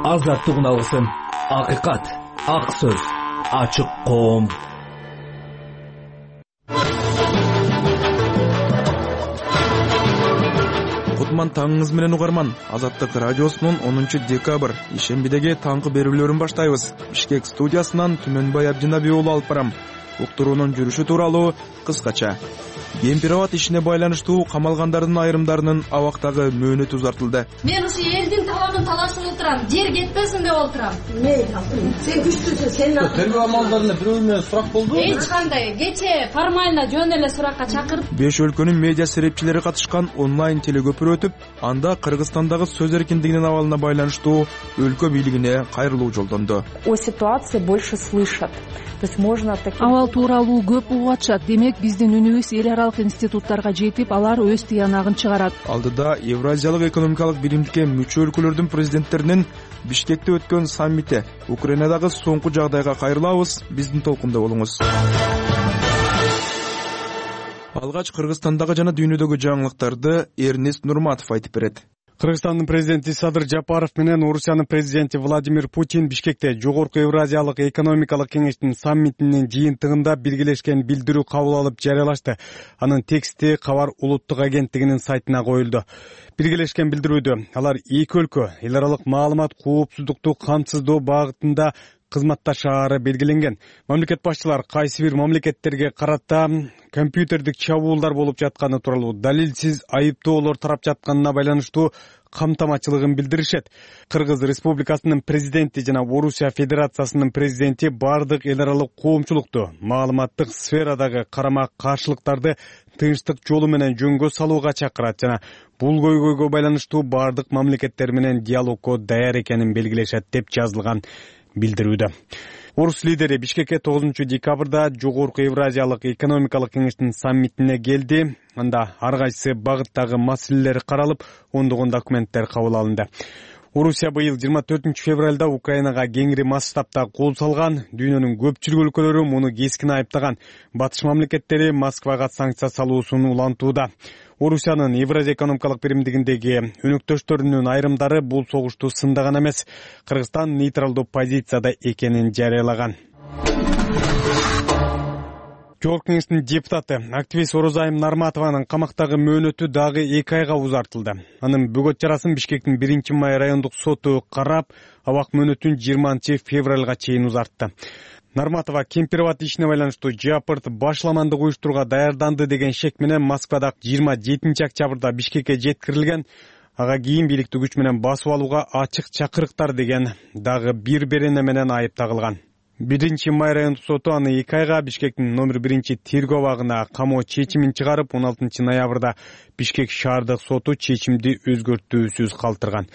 азаттык алгысын. Акыйкат, ак сөз, ачык коом. Кутман таңыңыз менен угарман. Азаттык радиосунун 10 декабрь ишембидеги таңкы берүүлөрүн баштайбыз. Бишкек студиясынан Түмөнбай Абдинаби уулу алып барам. Уктуруунун жүрүшү тууралуу кыскача. Кемпирабад ишине байланыштуу камалгандардын айрымдарынын абактагы мөөнөтү узартылды. Мен ушу элдин таланын талашып отурам, жер кетпесин деп отурам. Сен күчтүүсүң, сен тергөө амалдарында бирөө менен сурак болду. Эч кандай кече формально жөн эле суракка чакырып 5 өлкөнүн медиа серепчилери катышкан онлайн телегөпүр өтүп, анда Кыргызстандагы сөз эркиндигинин абалына байланыштуу өлкө бийлигине кайрылуу жолдонду. О ситуации больше слышат. То есть можно Абал тууралуу көп угуп атышат. Демек биздин үнүбүз эл аралык институттарга жетип, алар өз тыянагын чыгарат. Алдыда Евразиялык экономикалык биримдикке мүчө өлкөлөрдүн президенттеринин Бишкекте өткөн саммити. Украинадагы соңку жагдайга кайрылабыз. Биздин толкунда болуңуз. Алгач Кыргызстандагы жана дүйнөдөгү жаңылыктарды Эрнест Нурматов айтып берет. Кыргызстандын президенти Садыр Жапаров менен Орусиянын президенти Владимир Путин Бишкекте Жогорку Евразиялык экономикалык кеңештин саммитинин жыйынтыгында биргелешкен билдирүү кабыл алып жарыялашты. Анын тексти Кабар улуттук агенттигинин сайтына коюлду. Биргелешкен билдирүүдө алар эки өлкө эл аралык маалымат коопсуздукту камсыздоо багытында кызматташаары белгиленген. Мамлекет башчылар кайсы бир мамлекеттерге карата компьютердик чабуулдар болуп жатканы тууралуу далилсиз айыптоолор тарап жатканына байланыштуу камтамачылыгын билдиришет. Кыргыз Республикасынын президенти жана Орусия Федерациясынын президенти бардык эл аралык коомчулукту маалыматтык сферадагы карама каршылыктарды тынчтык жолу менен жөнгө салууга чакырат жана бул көйгөйгө байланыштуу бардык мамлекеттер менен диалогко даяр экенин белгилешет деп жазылган билдирүүдө. Орус лидери Бишкекке 9 декабрда Жогорку Евразиялык экономикалык кеңештин саммитине келди. Анда ар кайсы багыттагы маселелер каралып, ондогон документтер кабыл алынды. Орусия быйыл 24 февралда Украинага кеңири масштабта кол салган. Дүйнөнүн көпчүлүк өлкөлөрү муну кескин айыптаган. Батыш мамлекеттери Москвага санкция салуусун улантууда. Орусиянын Евразия экономикалык биримдигиндеги өнөктөштөрүнүн айрымдары бул согушту сындаган эмес. Кыргызстан нейтралдуу позицияда экенин жарыялаган. Жогорку кеңештин депутаты активист Орозайым Нарматованын камактагы мөөнөтү дагы 2 айга узартылды. Анын бөгөт чарасын Бишкектин 1-май райондук соту карап, абак мөөнөтүн 20 февралга чейин узартты. Нарматова Кемпирабад ишине байланыштуу Жапырт башламандык уюштурууга даярданды деген шек менен Москвада 27 октябрда Бишкекке жеткирилген. Ага кийин бийликтүү күч менен басып алууга ачык чакырыктар деген дагы бир берене менен айып тагылган. 1-май райондук соту аны 2 айга Бишкектин номер 1 тергөө абагына камоо чечимин чыгарып, 16 ноябрда Бишкек шаардык соту чечимди өзгөртүүсүз калтырган.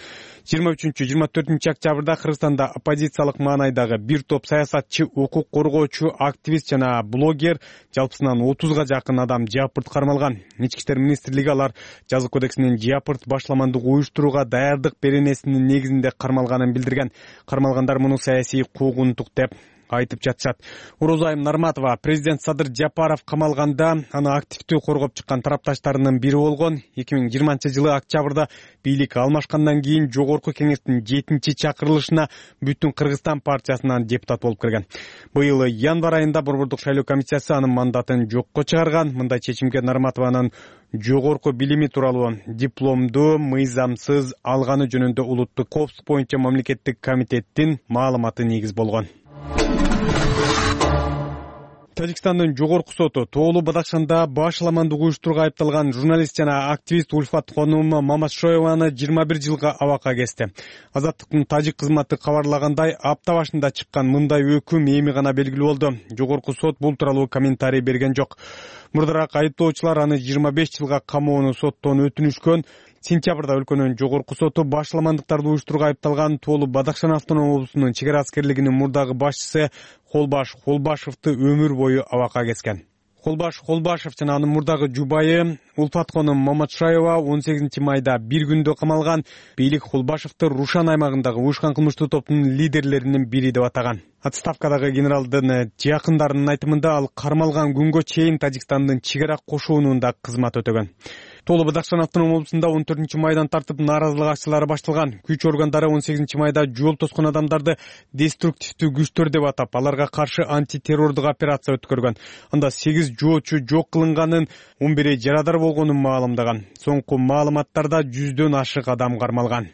23-24 октябрда Кыргызстанда оппозициялык маанайдагы бир топ саясатчы, укук коргоочу, активист жана блогер, жалпысынан 30га жакын адам Жапырт кармалган. Ички иштер министрлиги алар жазык кодексинин Жапырт башламандык уюштурууга даярдык беренесинин негизинде кармалганын билдирген. Кармалгандар муну саясий куугунтук деп айтып жатышат. Орозайым Нарматова президент Садыр Жапаров камалганда аны активдүү коргоп чыккан тарапташтарынын бири болгон. 2020 октябрда бийлик алмашкандан кийин Жогорку кеңештин 7-чакырылышына Бүтүн Кыргызстан партиясынан депутат болуп кирген. Быйыл январь айында Борбордук шайлоо комиссиясы анын мандатын жокко чыгарган. Мындай чечимге Нарматованын жогорку билими тууралуу дипломду мыйзамсыз алганы жөнүндө улуттук коопсуздук боюнча мамлекеттик комитеттин маалыматы негиз болгон. Тажикстандын жогорку соту Тоолу Бадакшанда башламандык уюштурууга айыпталган журналист жана активист Ульфат Хонум Мамашоеваны 21 жылга абакка кести. Азаттыктын тажик кызматы кабарлагандай, апта башында чыккан мындай өкүм эми гана белгилүү болду. Жогорку сот бул тууралуу комментарий берген жок. Мурдараак айыптоочулар аны 25 жылга камоону соттон өтүнүшкөн. Сентябрда өлкөнүн жогорку соту башламандыктарды уюштурууга айыпталган Тоолу Бадакшан автоном облусунун чек ара аскерлигинин мурдагы башчысы Холбаш Холбашевди өмүр бою абакка кескен. Холбаш Холбашев жана анын мурдагы жубайы Ульфат Хонум Мамашаева 18 майда бир күндө камалган. Бийлик Холбашевди Рушан аймагындагы уюшкан кылмыштуу топтун лидерлеринин бири деп атаган. Отставкадагы генералдын жакындарынын айтымында ал кармалган күнгө чейин Тажикстандын чек ара кошунунда кызмат өтөгөн. Толу Бадакшан автоном облусунда 14-майдан тартып нааразылык акчылары башталган. Күч органдары 18-майда жол тоскон адамдарды деструктивдүү күчтөр деп атап, аларга каршы антитеррордук операция өткөргөн. Анда 8 жоочу жок кылынганын, 11 жарадар болгонун маалымдаган. Соңку маалыматтарда 100дөн ашык адам кармалган.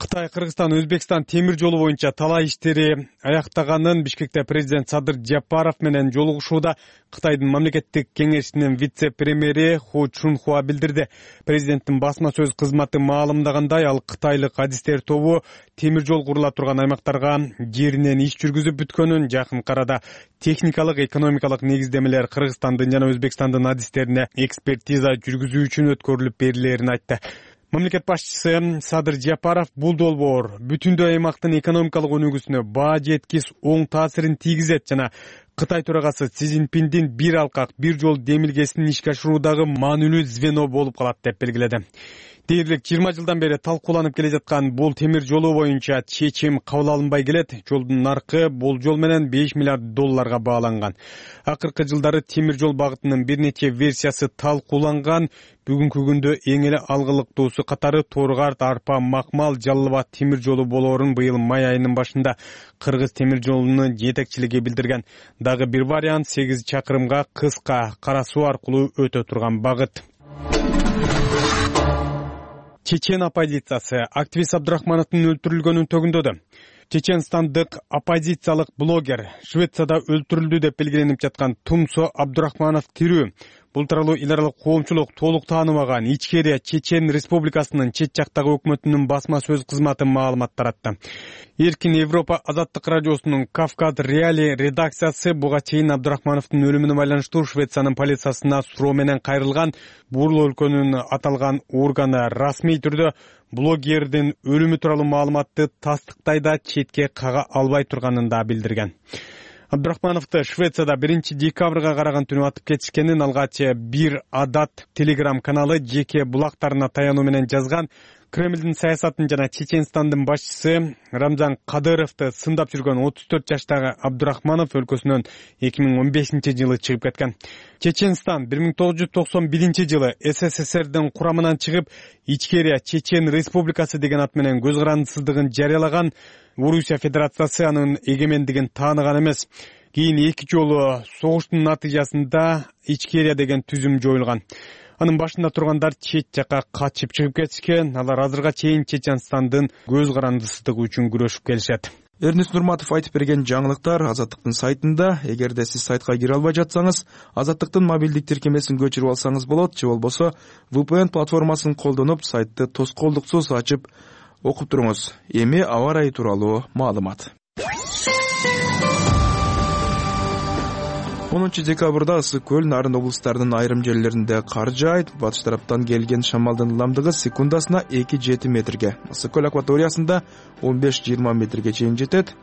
Кытай, Кыргызстан, Өзбекстан темир жолу боюнча талаа иштери аяктаганын Бишкекте президент Садыр Жапаров менен жолугушууда Кытайдын мамлекеттик кеңешинин вице-премьери Ху Чунхуа билдирди. Президенттин басма сөз кызматы маалымдагандай, ал кытайлык адистер тобу темир жол курула турган аймактарга жеринен иш жүргүзүп бүткөнүн, жакын арада техникалык, экономикалык негиздемелер Кыргызстандын жана Өзбекстандын адистерине экспертиза жүргүзүү үчүн өткөрүлүп берилерин айтты. Мамлекет башчысы Садыр Жапаров бул долбоор бүтүндөй аймактын экономикалык өнүгүүсүнө баа жеткис оң таасирин тийгизет жана Кытай төрагасы Си Цзиньпиндин бир алкак, бир жол демилгесин ишке ашыруудагы маанилүү звено болуп калат деп белгиледи. Дээрлик 20 жылдан бери талкууланып келе жаткан бул темир жолу боюнча чечим кабыл алынбай келет. Жолдун наркы болжол менен $5 миллиард бааланган. Акыркы жылдары темир жол багытынын бир нече версиясы талкууланган. Бүгүнкү күндө эң эле алгылыктуусу катары Торгарт, Арпа, Макмал, Жалал Абад темир жолу болоорун быйыл май айынын башында Кыргыз темир жолунун жетекчилиги билдирген. Дагы бир вариант 8 чакырымга кыска Кара суу аркылуу өтө турган багыт. Чечен оппозициясы активист Абдурахмановдун өлтүрүлгөнүн төгүндөдү. Чеченстандык оппозициялык блогер Швецияда өлтүрүлдү деп белгиленип жаткан Тумсо Абдурахманов тирүү. Бул тууралуу эл аралык коомчулук толук тааныбаган Ичкерия Чечен Республикасынын чет жактагы өкмөтүнүн басма сөз кызматы маалымат таратты. Эркин Европа азаттык радиосунун Кавказ Реали редакциясы буга чейин Абдурахмановдун өлүмүнө байланыштуу Швециянын полициясына суроо менен кайрылган. Бул өлкөнүн аталган органы расмий түрдө блогердин өлүмү тууралуу маалыматты тастыктай да четке кага албай турганын да билдирген. Абдурахмановду Швецияда 1 декабрга караган түнү атып кетишкенин алгач бир адат телеграм каналы жеке булактарына таянуу менен жазган. Кремлдин саясатын жана Чеченстандын башчысы Рамзан Кадыровду сындап жүргөн 34 жаштагы Абдурахманов өлкөсүнөн 2015-жылы чыгып кеткен. Чеченстан 1991 жылы СССРдин курамынан чыгып, Ичкерия Чечен Республикасы деген ат менен көз карандысыздыгын жарыялаган. Орусия Федерациясы анын эгемендигин тааныган эмес. Кийин 2 жолу согуштун натыйжасында Ичкерия деген түзүм жоюлган. Анын башында тургандар чет жакка качып чыгып кетишкен. Алар азырга чейин Чеченстандын көз карандысыздыгы үчүн күрөшүп келишет. Эрнис Нурматов айтып берген жаңылыктар Азаттыктын сайтында. Эгерде сиз сайтка кире албай жатсаңыз, Азаттыктын мобилдик тиркемесин көчүрүп алсаңыз болот, же болбосо VPN платформасын колдонуп сайтты тоскоолдуксуз ачып окуп туруңуз. Эми аба ырайы тууралуу маалымат. 10 декабрда Ысык көл, Нарын облустарынын айрым жерлеринде кар жаайт. Батыш тараптан келген шамалдын ылдамдыгы секундасына 2-7 метрге. Ысык көл акваториясында 15-20 метрге чейин жетет.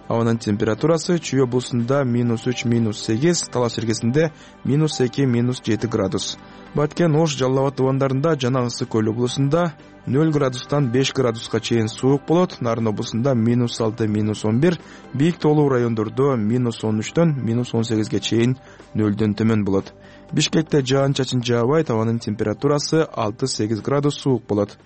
Абанын температурасы Чүй облусунда -3, -8, Талас эргесинде -2, -7 градус. Баткен, Ош, Жалал Абад тубандарында жана Ысык көл облусунда 0 градустан 5 градуска чейин суук болот. Нарын облусунда -6, -11, бийик тоолуу райондордо -13дөн -18ге чейин 0дөн төмөн болот. Бишкекте жаан-чачын жаабайт, абанын температурасы 6-8 градус суук болот.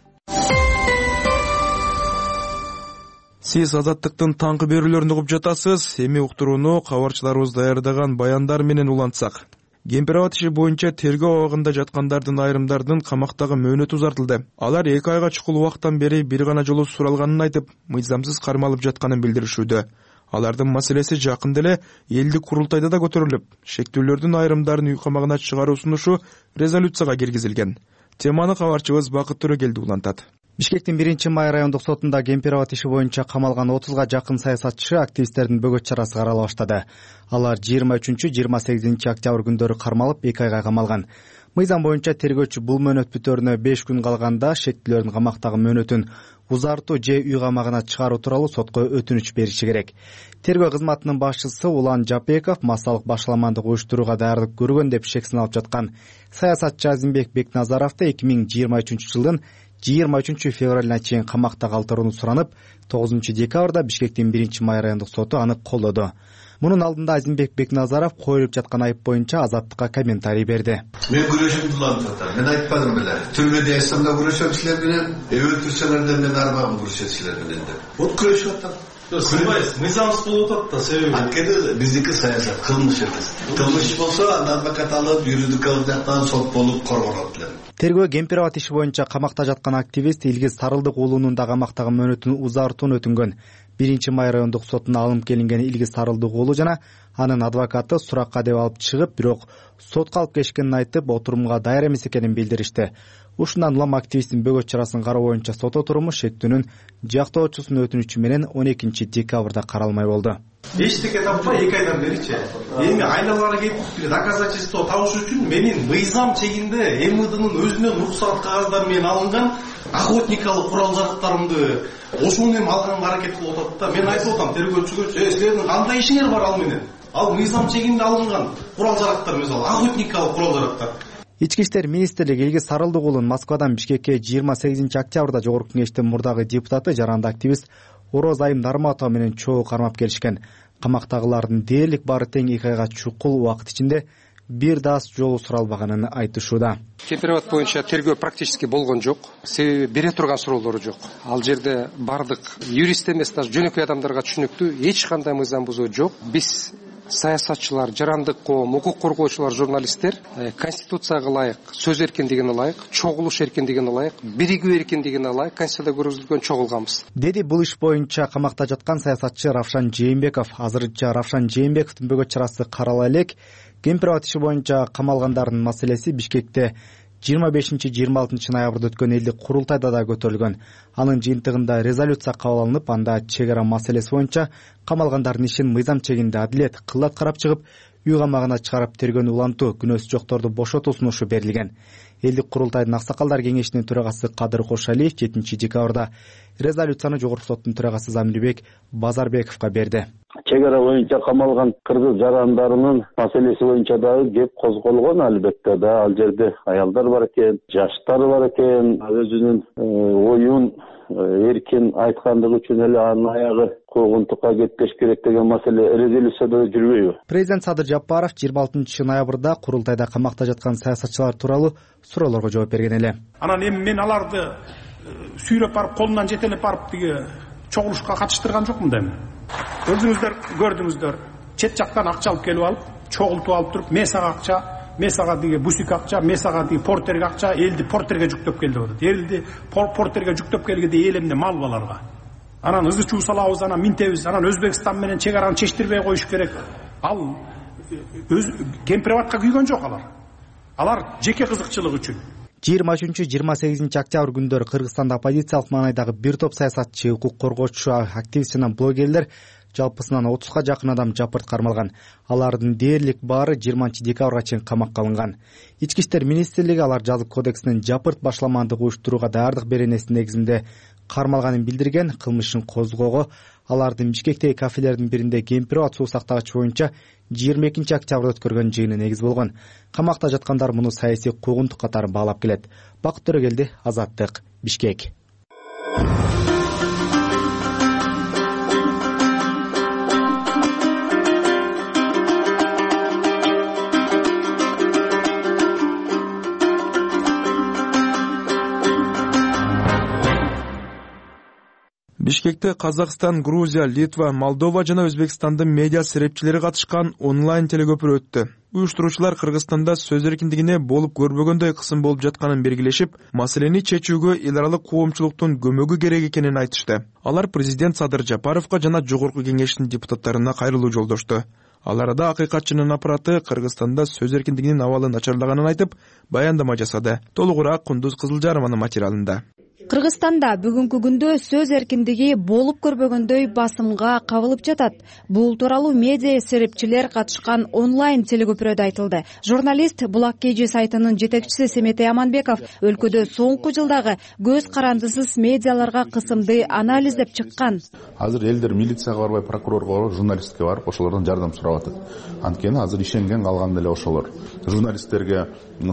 Сиз Азаттыктын таңкы берүүлөрүн угуп жатасыз. Эми уктурууну кабарчыларыбыз даярдаган баяндар менен улантсак. Кемпир-абад иши боюнча тергөө абагында жаткандардын айрымдардын камактагы мөөнөтү узартылды. Алар 2 айга чукул убакыттан бери бир гана жолу суралганын айтып, мыйзамсыз кармалып жатканын билдиришүүдө. Алардын маселеси жакында эле элдик курултайда да көтөрүлүп, шектүүлөрдүн айрымдарын үй камагына чыгаруу сунушу резолюцияга киргизилген. Теманы кабарчыбыз Бакыт Төрөгелди улантат. Бишкектин 1-май райондук сотунда кемпир-абад иши боюнча камалган 30га жакын саясатчы активисттердин бөгөт чарасы карала баштады. Алар 23-28 октябрь күндөрү кармалып 2 айга камалган. Мыйзам боюнча тергөөчү бул мөөнөт бүтөөрүнө 5 күн калганда шектүүлөрдүн камактагы мөөнөтүн узартуу же үй камагына чыгаруу тууралуу сотко өтүнүч бериши керек. Тергөө кызматынын башчысы Улан Жапеков массалык башаламандык уюштурууга даярдык көргөн деп шексин алып жаткан саясатчы Азимбек Бекназаровду 2023 жылдын 23 февралына чейин камакта калтырууну суранып, 9 декабрда Бишкектин 1-май райондук соту аны колдоду. Мунун алдында Азимбек Бекназаров коюлуп жаткан айып боюнча Азаттыкка комментарий берди. Мен күрөшүм улантат. Мен айтпадым беле. Түрмөдө эсамда күрөшөм силер менен, өлтүрсөлөрдөн мен арбагым күрөшөм силер менен деп. Вот күрөшүп атат. Сынбайсыз, мыйзамсыз болуп атат да себеби. Анткени биздики саясат кылмыш эмес. Кылмыш болсо анда адвокат алып, юридикалык жактан сот болуп коргонот эле. Тергөө Кемпирабад иши боюнча камакта жаткан активист Илгиз Сарылдык уулунун да камактагы мөөнөтүн узартууну өтүнгөн. 1-май райондук сотуна алынып келинген Илгиз Сарылдык уулу жана анын адвокаты суракка деп алып чыгып, бирок сотко алып келишкенин айтып, отурумга даяр эмес экенин билдиришти. Ушундан улам активисттин бөгөт чарасын кароо боюнча сот отуруму шектүүнүн жактоочусунун өтүнүчү менен 12 декабрда каралмай болду. Эчтеке таппай 2 айдан беричи. Эми айналганы кетип доказательство табыш үчүн менин мыйзам чегинде МВДнын өзүнөн уруксат кагаздары менен алынган охотникалык курал-жарактарымды ошону эми алганга аракет кылып атат да. Мен айтып атам тергөөчүгө, силердин кандай ишиңер бар ал менен? Ал мыйзам чегинде алынган курал-жарактар эмес, ал охотникалык курал-жарактар. Ички иштер министрлиги Илгиз Сарылдык уулун Москвадан Бишкекке 28 октябрда Жогорку Кеңештин мурдагы депутаты, жаранды активист Ороз Айым Нарматова менен чогуу кармап келишкен. Камактагылардын дээрлик баары тең 2 айга чукул убакыт ичинде бир да жолу суралбаганын айтышууда. Кемпирабад боюнча тергөө практически болгон жок. Себеби бере турган суроолору жок. Ал жерде бардык юрист эмес, даже жөнөкөй адамдарга түшүнүктүү эч кандай мыйзам бузуу жок. Биз саясатчылар, жарандык коом, укук коргоочулар, журналисттер конституцияга ылайык, сөз эркиндигине ылайык, чогулуш эркиндигине ылайык, биригүү эркиндигине ылайык конституцияда көрсөтүлгөн чогулганбыз. Деди бул иш боюнча камакта жаткан саясатчы Равшан Жээнбеков. Азырынча Равшан Жээнбековдун бөгөт чарасы карала элек. Кемпирабад иши боюнча камалгандардын маселеси Бишкекте 25-26 ноябрда өткөн элдик курултайда да көтөрүлгөн. Анын жыйынтыгында резолюция кабыл алынып, анда чек ара маселеси боюнча камалгандардын ишин мыйзам чегинде адилет кылат карап чыгып, үй камагына чыгарып тергөөнү улантуу, күнөөсү жокторду бошотуу сунушу берилген. Элдик курултайдын аксакалдар кеңешинин төрагасы Кадыр Кошалиев 7 декабрда резолюцияны Жогорку соттун төрагасы Замирбек Базарбековго берди. Чек ара боюнча камалган кыргыз жарандарынын маселеси боюнча дагы кеп козголгон, албетте да. Ал жерде аялдар бар экен, жаштар бар экен, өзүнүн оюн эркин айткандыгы үчүн эле анын аягы куугунтукка кетпеш керек деген маселе резолюцияда жүрбөйбү? Президент Садыр Жапаров 26 ноябрда курултайда камакта жаткан саясатчылар тууралуу суроолорго жооп берген эле. Анан эми мен аларды сүйрөп барып, колунан жетелеп барып тиги чогулушка катыштырган жокмун да эми. Өзүңүздөр көрдүңүздөр, чет жактан акча алып келип алып, чогултуп алып туруп, мен сага акча, мен сага диги бусик акча, мен сага диги портерге акча, элди портерге жүктөп келди деп атат. Элди портерге жүктөп келгенде эл эмне мал баларга. Анан ызы чуу салабыз, анан минтебиз, анан Өзбекстан менен чек араны чечтирбей коюш керек. Ал өз Кемпирабадка күйгөн жок алар. Алар жеке кызыкчылык үчүн. 23-28 октябрь күндөрү Кыргызстанда оппозициялык маанайдагы бир топ саясатчы, укук коргоочу, активист жана блогерлер жалпысынан 30га жакын адам жапырт кармалган. Алардын дээрлик баары 20 декабрга чейин камакка алынган. Ички иштер министрлиги алар жазык кодексинин жапырт башламандык уюштурууга даярдык беренесинин негизинде кармалганын билдирген. Кылмышын козгоого алардын Бишкектеги кафелердин биринде Кемпирабад суу сактагыч боюнча 22 октябрда өткөргөн жыйыны негиз болгон. Камакта жаткандар муну саясий куугунтук катары баалап келет. Бакыт Төрөгелди, Азаттык, Бишкек. Бишкекте Казакстан, Грузия, Литва, Молдова жана Өзбекстандын медиа серепчилери катышкан онлайн телекөпүрө өттү. Уюштуруучулар Кыргызстанда сөз эркиндигине болуп көрбөгөндөй кысым болуп жатканын белгилешип, маселени чечүүгө эл аралык коомчулуктун көмөгү керек экенин айтышты. Алар президент Садыр Жапаровго жана Жогорку Кеңештин депутаттарына кайрылуу жолдошту. Ал арада акыйкатчынын аппараты Кыргызстанда сөз эркиндигинин абалы начарлаганын айтып, баяндама жасады. Толугураак Кундуз Кызылжарованын материалында. Кыргызстанда бүгүнкү күндө сөз эркиндиги болуп көрбөгөндөй басымга кабылып жатат. Бул тууралуу медиа серепчилер катышкан онлайн телекөпүрөдө айтылды. Журналист Булак KG сайтынын жетекчиси Семетей Аманбеков өлкөдө соңку жылдагы көз карандысыз медиаларга кысымды анализдеп чыккан. Азыр элдер милицияга барбай, прокурорго барып, журналистке барып, ошолордон жардам сурап атат. Анткени азыр ишенген калган эле ошолор. Журналисттерге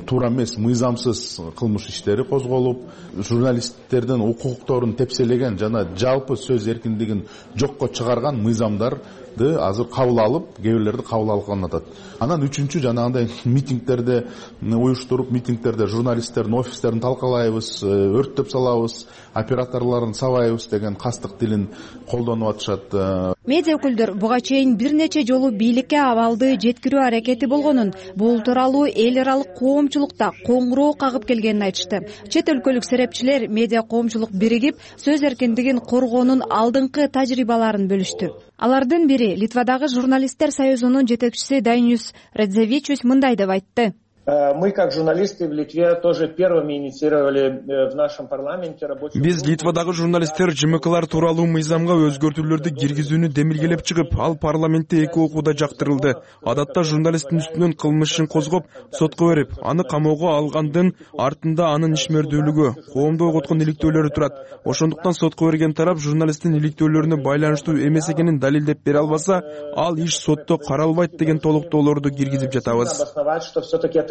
туура эмес, мыйзамсыз кылмыш иштери козголуп, журналисттердин укукторун тепселеген жана жалпы сөз эркиндигин жокко чыгарган мыйзамдар азыр кабыл алып, кээ бирлерди кабыл алган атат. Анан үчүнчү жанагындай митингдерди уюштуруп, митингдерде журналисттердин офистерин талкалайбыз, өрттөп салабыз, операторлорун сабайбыз деген кастык тилин колдонуп атышат. Медиа өкүлдөр буга чейин бир нече жолу бийликке абалды жеткирүү аракети болгонун, бул тууралуу эл аралык коомчулукта коңгуроо кагып келгенин айтышты. Чет өлкөлүк серепчилер медиа коомчулук биригип, сөз эркиндигин коргоонун алдыңкы тажрыйбаларын бөлүштү. Алардын бири Литвадагы журналисттер союзунун жетекчиси Дайнюс Радзевичус мындай деп айтты. Мы, как журналисты в Литве, тоже первыми инициировали в нашем парламенте рабочую... Биз Литвадагы журналисттер ЖМКлар тууралуу мыйзамга өзгөртүүлөрдү киргизүүнү демилгелеп чыгып, ал парламентте 2 окууда жактырылды. Адатта журналисттин үстүнөн кылмыш ишин козгоп, сотко берип, аны камоого алгандын артында анын ишмердүүлүгү, коомду ойготкон иликтөөлөрү турат. Ошондуктан сотко берген тарап журналисттин иликтөөлөрүнө байланыштуу эмес экенин далилдеп бере албаса, ал иш сотто каралбайт деген толуктоолорду киргизип жатабыз.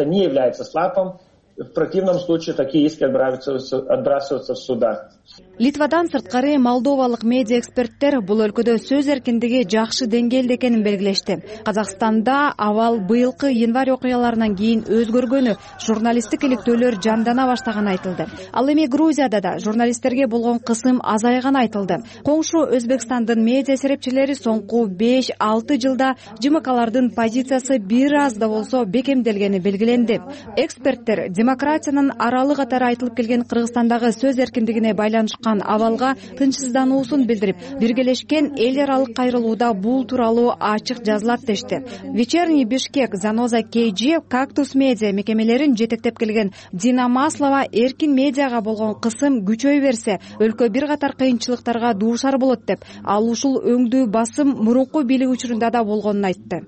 Не является слапом. В противном случае такие иски отбрасываются в судах. Литвадан сырткары молдовалык медиа эксперттер бул өлкөдө сөз эркиндиги жакшы деңгээлде экенин белгилешти. Казакстанда абал быйылкы январь окуяларынан кийин өзгөргөнү, журналисттик иликтөөлөр жандана баштаганы айтылды. Ал эми Грузияда да журналисттерге болгон кысым азайганы айтылды. Коңшу Өзбекстандын медиа серепчилери соңку 5-6 жылда ЖМКлардын позициясы бир аз да болсо бекемделгени белгиленди. Эксперттер демократиянын аралы катары айтылып келген Кыргызстандагы сөз эркиндигине байланышкан абалга тынчсыздануусун билдирип, биргелешкен эл аралык кайрылууда бул тууралуу ачык жазылат дешти. Вечерний Бишкек, Заноза KG, Кактус медиа мекемелерин жетектеп келген Дина Маслова эркин медиага болгон кысым күчөй берсе, өлкө бир катар кыйынчылыктарга дуушар болот деп, ал ушул өңдүү басым мурунку бийлик учурунда да болгонун айтты.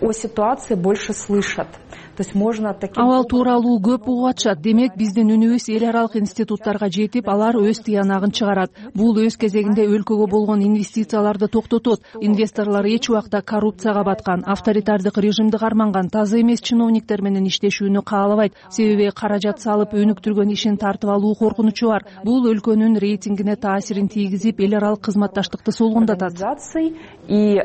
О ситуации больше слышат. То есть можно таким... Абал тууралуу көп угуп атышат. Демек, биздин үнүбүз эл аралык институттарга жетип, алар өз тыянагын чыгарат. Бул өз кезегинде өлкөгө болгон инвестицияларды токтотот. Инвесторлор эч убакта коррупцияга баткан, авторитардык режимди карманган, таза эмес чиновниктер менен иштешүүнү каалабайт. Себеби каражат салып өнүктүргөн ишин тартып алуу коркунучу бар. Бул өлкөнүн рейтингине таасирин тийгизип, эл аралык кызматташтыкты солгундатат. И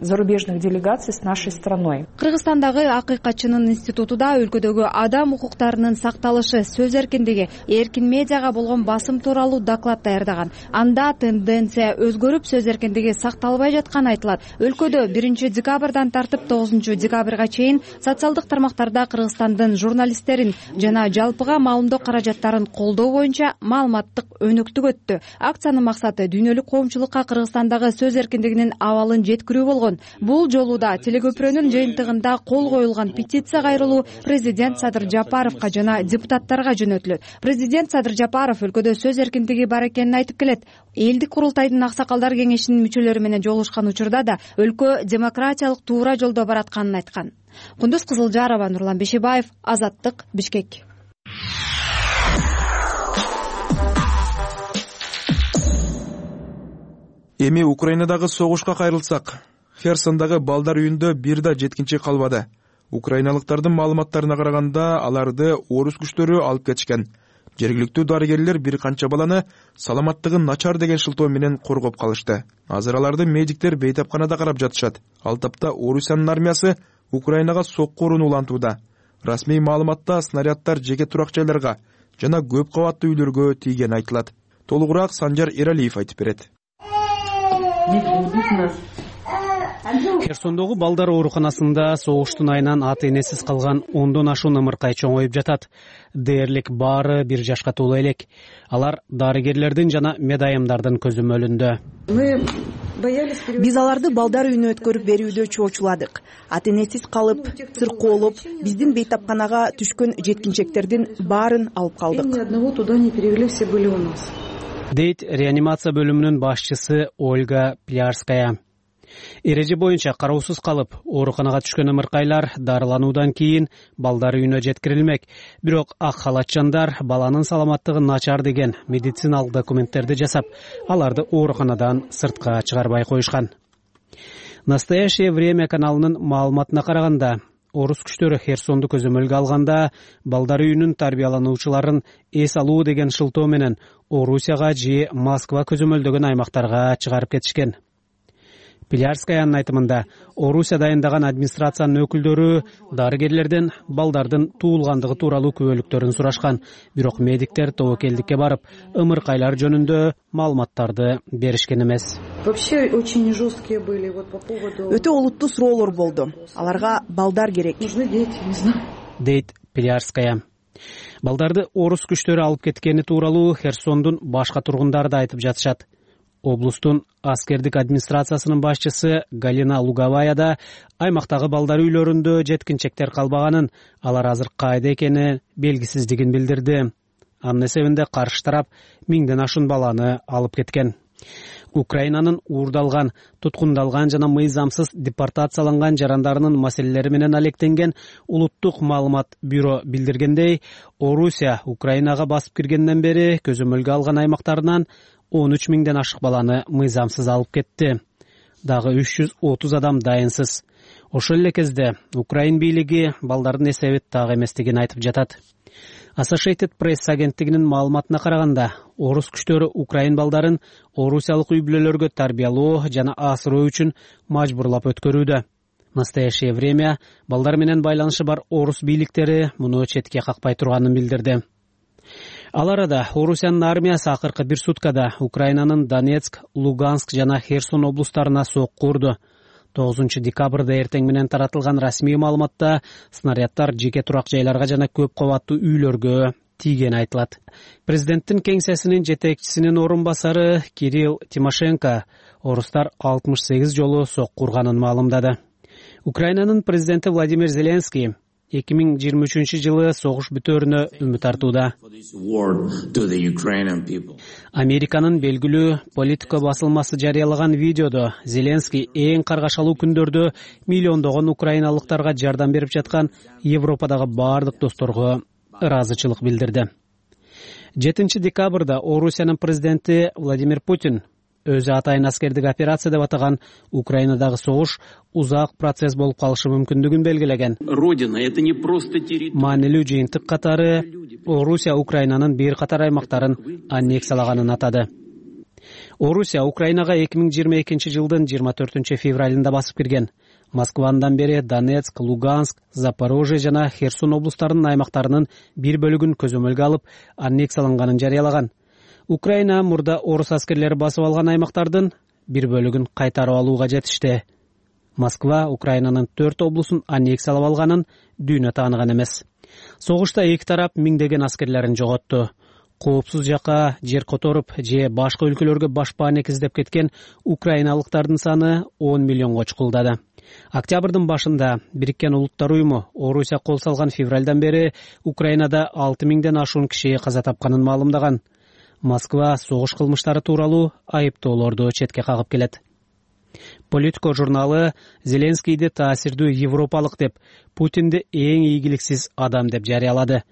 зарубежных делегаций с нашей страной. Кыргызстандагы акыйкатчынын институтуда өлкөдөгү адам укуктарынын сакталышы, сөз эркиндиги, эркин медиага болгон басым тууралуу доклад даярдаган. Анда тенденция өзгөрүп, сөз эркиндиги сакталбай жатканы айтылат. Өлкөдө 1 декабрдан тартып 9 декабрга чейин социалдык тармактарда Кыргызстандын журналисттерин жана жалпыга маалымдоо каражаттарын колдоо боюнча маалыматтык өнүктүк өттү. Акциянын максаты дүйнөлүк коомчулукка Кыргызстандагы сөз эркиндигинин абалын жеткирүү болгон. Бул жолу да телекөпүрөнүн жыйынтыгында кол коюлган петиция кайрылуу президент Садыр Жапаровго жана депутаттарга жөнөтүлөт. Президент Садыр Жапаров өлкөдө сөз эркиндиги бар экенин айтып келет. Элдик курултайдын аксакалдар кеңешинин мүчөлөрү менен жолугушкан учурда да өлкө демократиялык туура жолдо баратканын айткан. Кундуз Кызылжарова, Нурлан Бешебаев, Азаттык, Бишкек. Эми Украинадагы согушка кайрылсак, Херсондагы балдар үйүндө бир да жеткинчек калбады. Украиналыктардын маалыматтарына караганда, аларды орус күчтөрү алып кетишкен. Жергиликтүү дарыгерлер бир канча баланы саламаттыгын начар деген шылтоо менен коргоп калышты. Азыр аларды медиктер бейтапканада карап жатышат. Ал тапта Орусиянын армиясы Украинага сокку уруну улантууда. Расмий маалыматта снаряддар жеке турак жайларга жана көп кабаттуу үйлөргө тийгени айтылат. Толугураак Санжар Эралиев айтып берет. Херсондогу балдар ооруканасында согуштун айынан ата энесиз калган 10дон ашуун ымыркай чоңоюп жатат. Дээрлик баары 1 жашка толо элек. Алар дарыгерлердин жана медайымдардын көзөмөлүндө. Биз аларды балдар үйүнө өткөрүп берүүдө чоочуладык. Ата энесиз калып, циркоолоп, биздин бейтапканага түшкөн жеткинчектердин баарын алып калдык. Дейт реанимация бөлүмүнүн башчысы Ольга Плярская. Эреже боюнча кароосуз калып, ооруканага түшкөн ымыркайлар дарылануудан кийин балдар үйүнө жеткирилмек. Бирок ак халатчандар баланын саламаттыгы начар деген медициналык документтерди жасап, аларды ооруканадан сыртка чыгарбай коюшкан. Настоящее время каналынын маалыматына караганда, орус күчтөрү Херсонду көзөмөлгө алганда, балдар үйүнүн тарбиялануучуларын эс алуу деген шылтоо менен Орусияга же Москва көзөмөлдөгөн аймактарга чыгарып кетишкен. Плярскаянын айтымында, Орусия дайындаган администрациянын өкүлдөрү дарыгерлерден балдардын туулгандыгы тууралуу күбөлүктөрүн сурашкан. Бирок медиктер тобокелдикке барып, ымыркайлар жөнүндө маалыматтарды беришкен эмес. Өтө олуттуу суроолор болду. Аларга балдар керек. Дейт Плярская. Балдарды орус күчтөрү алып кеткени тууралуу Херсондун башка тургундары да айтып жатышат. Облустун аскердик администрациясынын башчысы Галина Луговая да аймактагы балдар үйлөрүндө жеткинчектер калбаганын, алар азыр кайда экени белгисиздигин билдирди. Анын эсебинде каршы тарап 1000ден ашуун баланы алып кеткен. Украинанын уурдалган, туткундалган жана мыйзамсыз депортацияланган жарандарынын маселелери менен алектенген Улуттук маалымат бюро билдиргендей, Орусия Украинага басып киргенден бери көзөмөлгө алган аймактарынан 13 000ден ашык баланы мыйзамсыз алып кетти. Дагы 330 адам дайынсыз. Ошол эле кезде Украин бийлиги балдардын эсеби так эместигин айтып жатат. Associated Press агенттигинин маалыматына караганда, орус күчтөрү Украин балдарын орусиялык үй-бүлөлөргө тарбиялоо жана асыроо үчүн мажбурлап өткөрүүдө. В настоящее время балдар менен байланышы бар орус бийликтери муну четке какпай турганын билдирди. Ал арада Орусиянын армиясы акыркы бир суткада Украинанын Донецк, Луганск жана Херсон облустарына сокку урду. 9 декабрда эртең менен таратылган расмий маалыматта снаряддар жеке турак жайларга жана көп кабаттуу үйлөргө тийгени айтылат. Президенттин кеңсесинин жетекчисинин орун басары Кирилл Тимошенко орустар 68 жолу сокку урганын маалымдады. Украинанын президенти Владимир Зеленский 2023-жылы согуш бүтөөрүнө үмүт артууда. Американын белгилүү Политико басылмасы жарыялаган видеодо Зеленский эң каргашалуу күндөрдө миллиондогон украиналыктарга жардам берип жаткан Европадагы бардык досторго ыраазычылык билдирди. 7 декабрда Орусиянын президенти Владимир Путин өзү атайын аскердик операция деп атаган Украинадагы согуш узак процесс болуп калышы мүмкүндүгүн белгилеген. Маанилүү жыйынтык катары Орусия Украинанын бир катар аймактарын аннексиялаганын атады. Орусия Украинага 2022-жылдын 24 февралында басып кирген. Москвадан бери Донецк, Луганск, Запорожье жана Херсон облустарынын аймактарынын бир бөлүгүн көзөмөлгө алып аннексияланганын жарыялаган. Украина мурда орус аскерлери басып алган аймактардын бир бөлүгүн кайтарып алууга жетишти. Москва Украинанын 4 облусун аннексиялап алганын дүйнө тааныган эмес. Согушта эки тарап миңдеген аскерлерин жоготту. Коопсуз жакка жер которуп же башка өлкөлөргө башпаанек издеп кеткен украиналыктардын саны 10 миллионго чукулдады. Октябрдын башында Бириккен Улуттар уюму Орусия кол салган февралдан бери Украинада 6000ден ашуун киши каза тапканын маалымдаган. Москва согуш кылмыштары тууралуу айыптоолорду четке кагып келет. Политико журналы Зеленскийди таасирдүү европалык деп, Путинди эң ийгиликсиз адам деп жарыялады.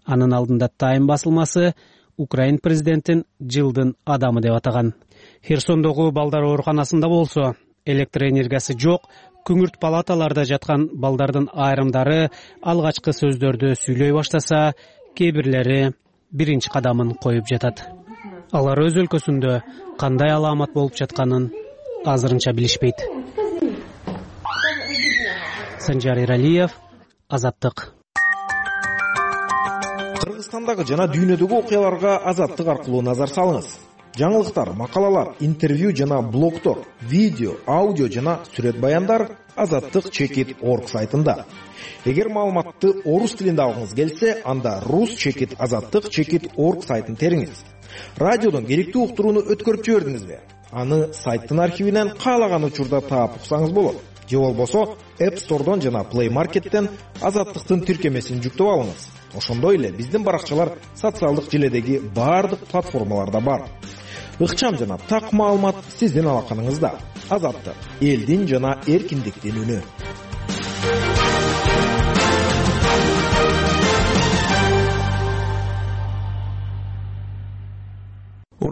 Анын алдында Time басылмасы Украин президентин жылдын адамы деп атаган. Херсондогу балдар ооруканасында болсо, электр энергиясы жок, күңүрт палаталарда жаткан балдардын айрымдары алгачкы сөздөрдү сүйлөй баштаса, кээ-бирлери биринчи кадамын коюп жатат. Алар өз өлкөсүндө кандай аламат болуп жатканын азырынча билишпейт. Санжар Иралиев, Азаттык. Кыргызстандагы жана дүйнөдөгү окуяларга Азаттык аркылуу назар салыңыз. Жаңылыктар, макалалар, интервью жана блогтор, видео, аудио жана сүрөт баяндар azattik.org сайтында. Эгер маалыматты орус тилинде алгыңыз келсе, анда rus.azattik.org сайтын териңиз. Радиодон керектүү уктурууну өткөрүп жибердиңизби? Аны сайттын архивинен каалаган учурда таап уксаңыз болот. Же болбосо App Store'дон жана Play Market'тен Азаттыктын тиркемесин жүктөп алыңыз. Ошондой эле биздин баракчалар социалдык желедеги бардык платформаларда бар. Ыкчам жана так маалымат сиздин алаканыңызда. Азаттык, элдин жана эркиндиктин үнү.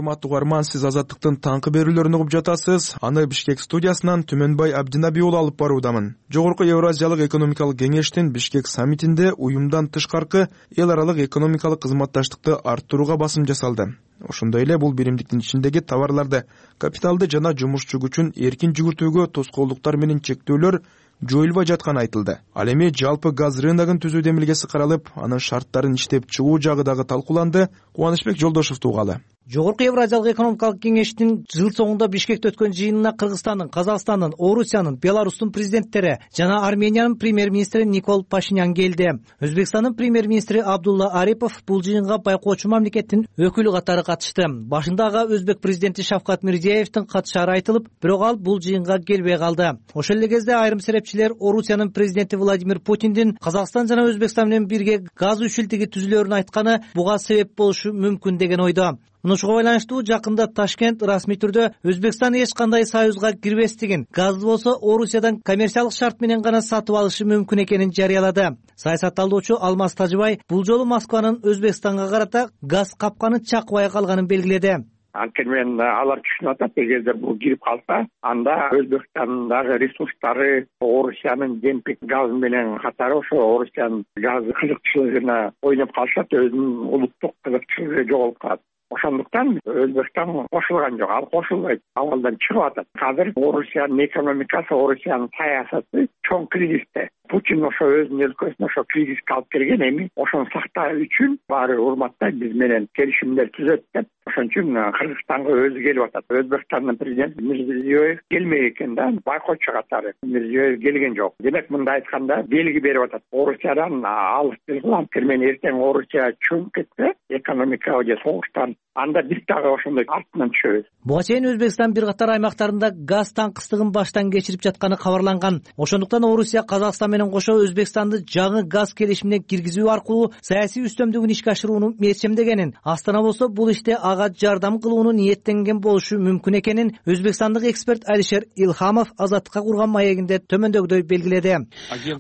урматтуу угарман, сиз Азаттыктын таңкы берүүлөрүн угуп жатасыз. Аны Бишкек студиясынан Түмөнбай Абдинаби уулу алып баруудамын. Жогорку Евразиялык экономикалык кеңештин Бишкек саммитинде уюмдан тышкаркы эл аралык экономикалык кызматташтыкты арттырууга басым жасалды. Ошондой эле бул биримдиктин ичиндеги товарларды, капиталды жана жумушчу күчүн эркин жүгүртүүгө тоскоолдуктар менен чектөөлөр жоюлбай жатканы айтылды. Ал эми жалпы газ рыногун түзүү демилгеси каралып, анын шарттарын иштеп чыгуу жагы дагы талкууланды. Кубанычбек Жолдошев тугалы. Жогорку Евразиялык экономикалык кеңештин жыл соңунда Бишкекте өткөн жыйынына Кыргызстандын, Казакстандын, Орусиянын, Беларустун президенттери жана Армениянын премьер-министри Никол Пашинян келди. Өзбекстандын премьер-министри Абдулла Арипов бул жыйынга байкоочу мамлекеттин өкүлү катары катышты. Башында ага Өзбек президенти Шавкат Мирзиеевдин катышары айтылып, бирок ал бул жыйынга келбей калды. Ошол эле кезде айрым серепчилер Орусиянын президенти Владимир Путиндин Казакстан жана Өзбекстан менен бирге газ үчүлтүгү түзүлөрүн айтканы буга себеп болушу мүмкүн деген ойдо. Мунушуга байланыштуу жакында Ташкент расмий түрдө Өзбекстан эч кандай союзга кирбестигин, газды болсо Орусиядан коммерциялык шарт менен гана сатып алышы мүмкүн экенин жарыялады. Саясат талдоочу Алмаз Тажыбай бул жолу Москванын Өзбекстанга карата газ капканы чакыбай калганын белгиледи. Анткени алар түшүнүп атат, эгерде бул кирип калса, анда Өзбекстандагы ресурстары Орусиянын демпинг газы менен катары ошо Орусиянын газ кызыкчылыгына ойноп калышат, өзүнүн улуттук кызыкчылыгы жоголуп калат. Ошондуктан Өзбекстан кошулган жок, ал кошулбайт, абалдан чыгып атат. Азыр Орусиянын экономикасы, Орусиянын саясаты чоң кризисте. Путин ошо өзүнүн өлкөсүнө ошо кризиске алып келген, эми ошону сактоо үчүн баары урматтайт, биз менен келишимдер түзөт деп. Ошон үчүн Кыргызстанга өзү келип атат. Өзбекстандын президенти Мирзиёев келмей экен да, байкоочу катары. Мирзиёев келген жок. Демек мындай айтканда белги берип атат. Орусиядан алыс кылам, мен эртең Орусия чөңүп кетсе, экономикага же согуштан, анда биз дагы ошондой артынан түшөбүз. Буга чейин Өзбекстан бир катар аймактарында газ таңкыстыгын баштан кечирип жатканы кабарланган. Ошондуктан Орусия Казакстан менен кошо Өзбекстанды жаңы газ келишимине киргизүү аркылуу саясий үстөмдүгүн ишке ашырууну мечемдегенин, Астана болсо бул иште ага жардам кылууну ниеттенген болушу мүмкүн экенин өзбекстандык эксперт Алишер Илхамов Азаттыкка курган маегинде төмөндөгүдөй белгиледи.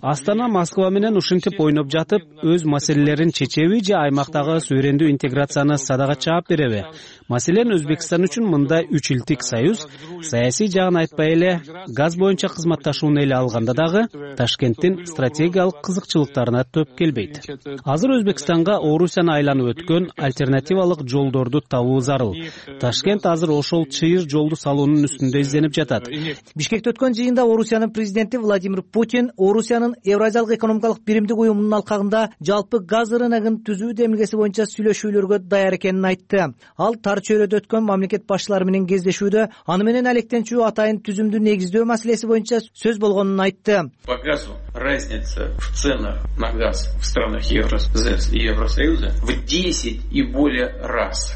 Астана Москва менен ушинтип ойноп жатып, өз маселелерин чечеби же аймактагы суверендүү интеграцияны садага чаап береби? Маселен, Өзбекстан үчүн мындай үч илтик союз саясий жагын айтпай эле газ боюнча кызматташууну эле алганда дагы Ташкенттин стратегиялык кызыкчылыктарына төп келбейт. Азыр Өзбекстанга Орусияны айланып өткөн альтернативалык жолдорду табуу зарыл. Ташкент азыр ошол чыйыр жолду салуунун үстүндө изденип жатат. Бишкекте өткөн жыйында Орусиянын президенти Владимир Путин Орусиянын Евразиялык экономикалык биримдик уюмунун алкагында жалпы газ рыногун түзүү демилгеси боюнча сүйлөшүүлөргө даяр экенин айтты. Ал тар чөйрөдө өткөн мамлекет башчылары менен кездешүүдө аны менен алектенчүү атайын түзүмдү негиздөө маселеси боюнча сөз болгонун айтты. По газу разница в ценах на газ в странах Евросоюза в 10 и более раз.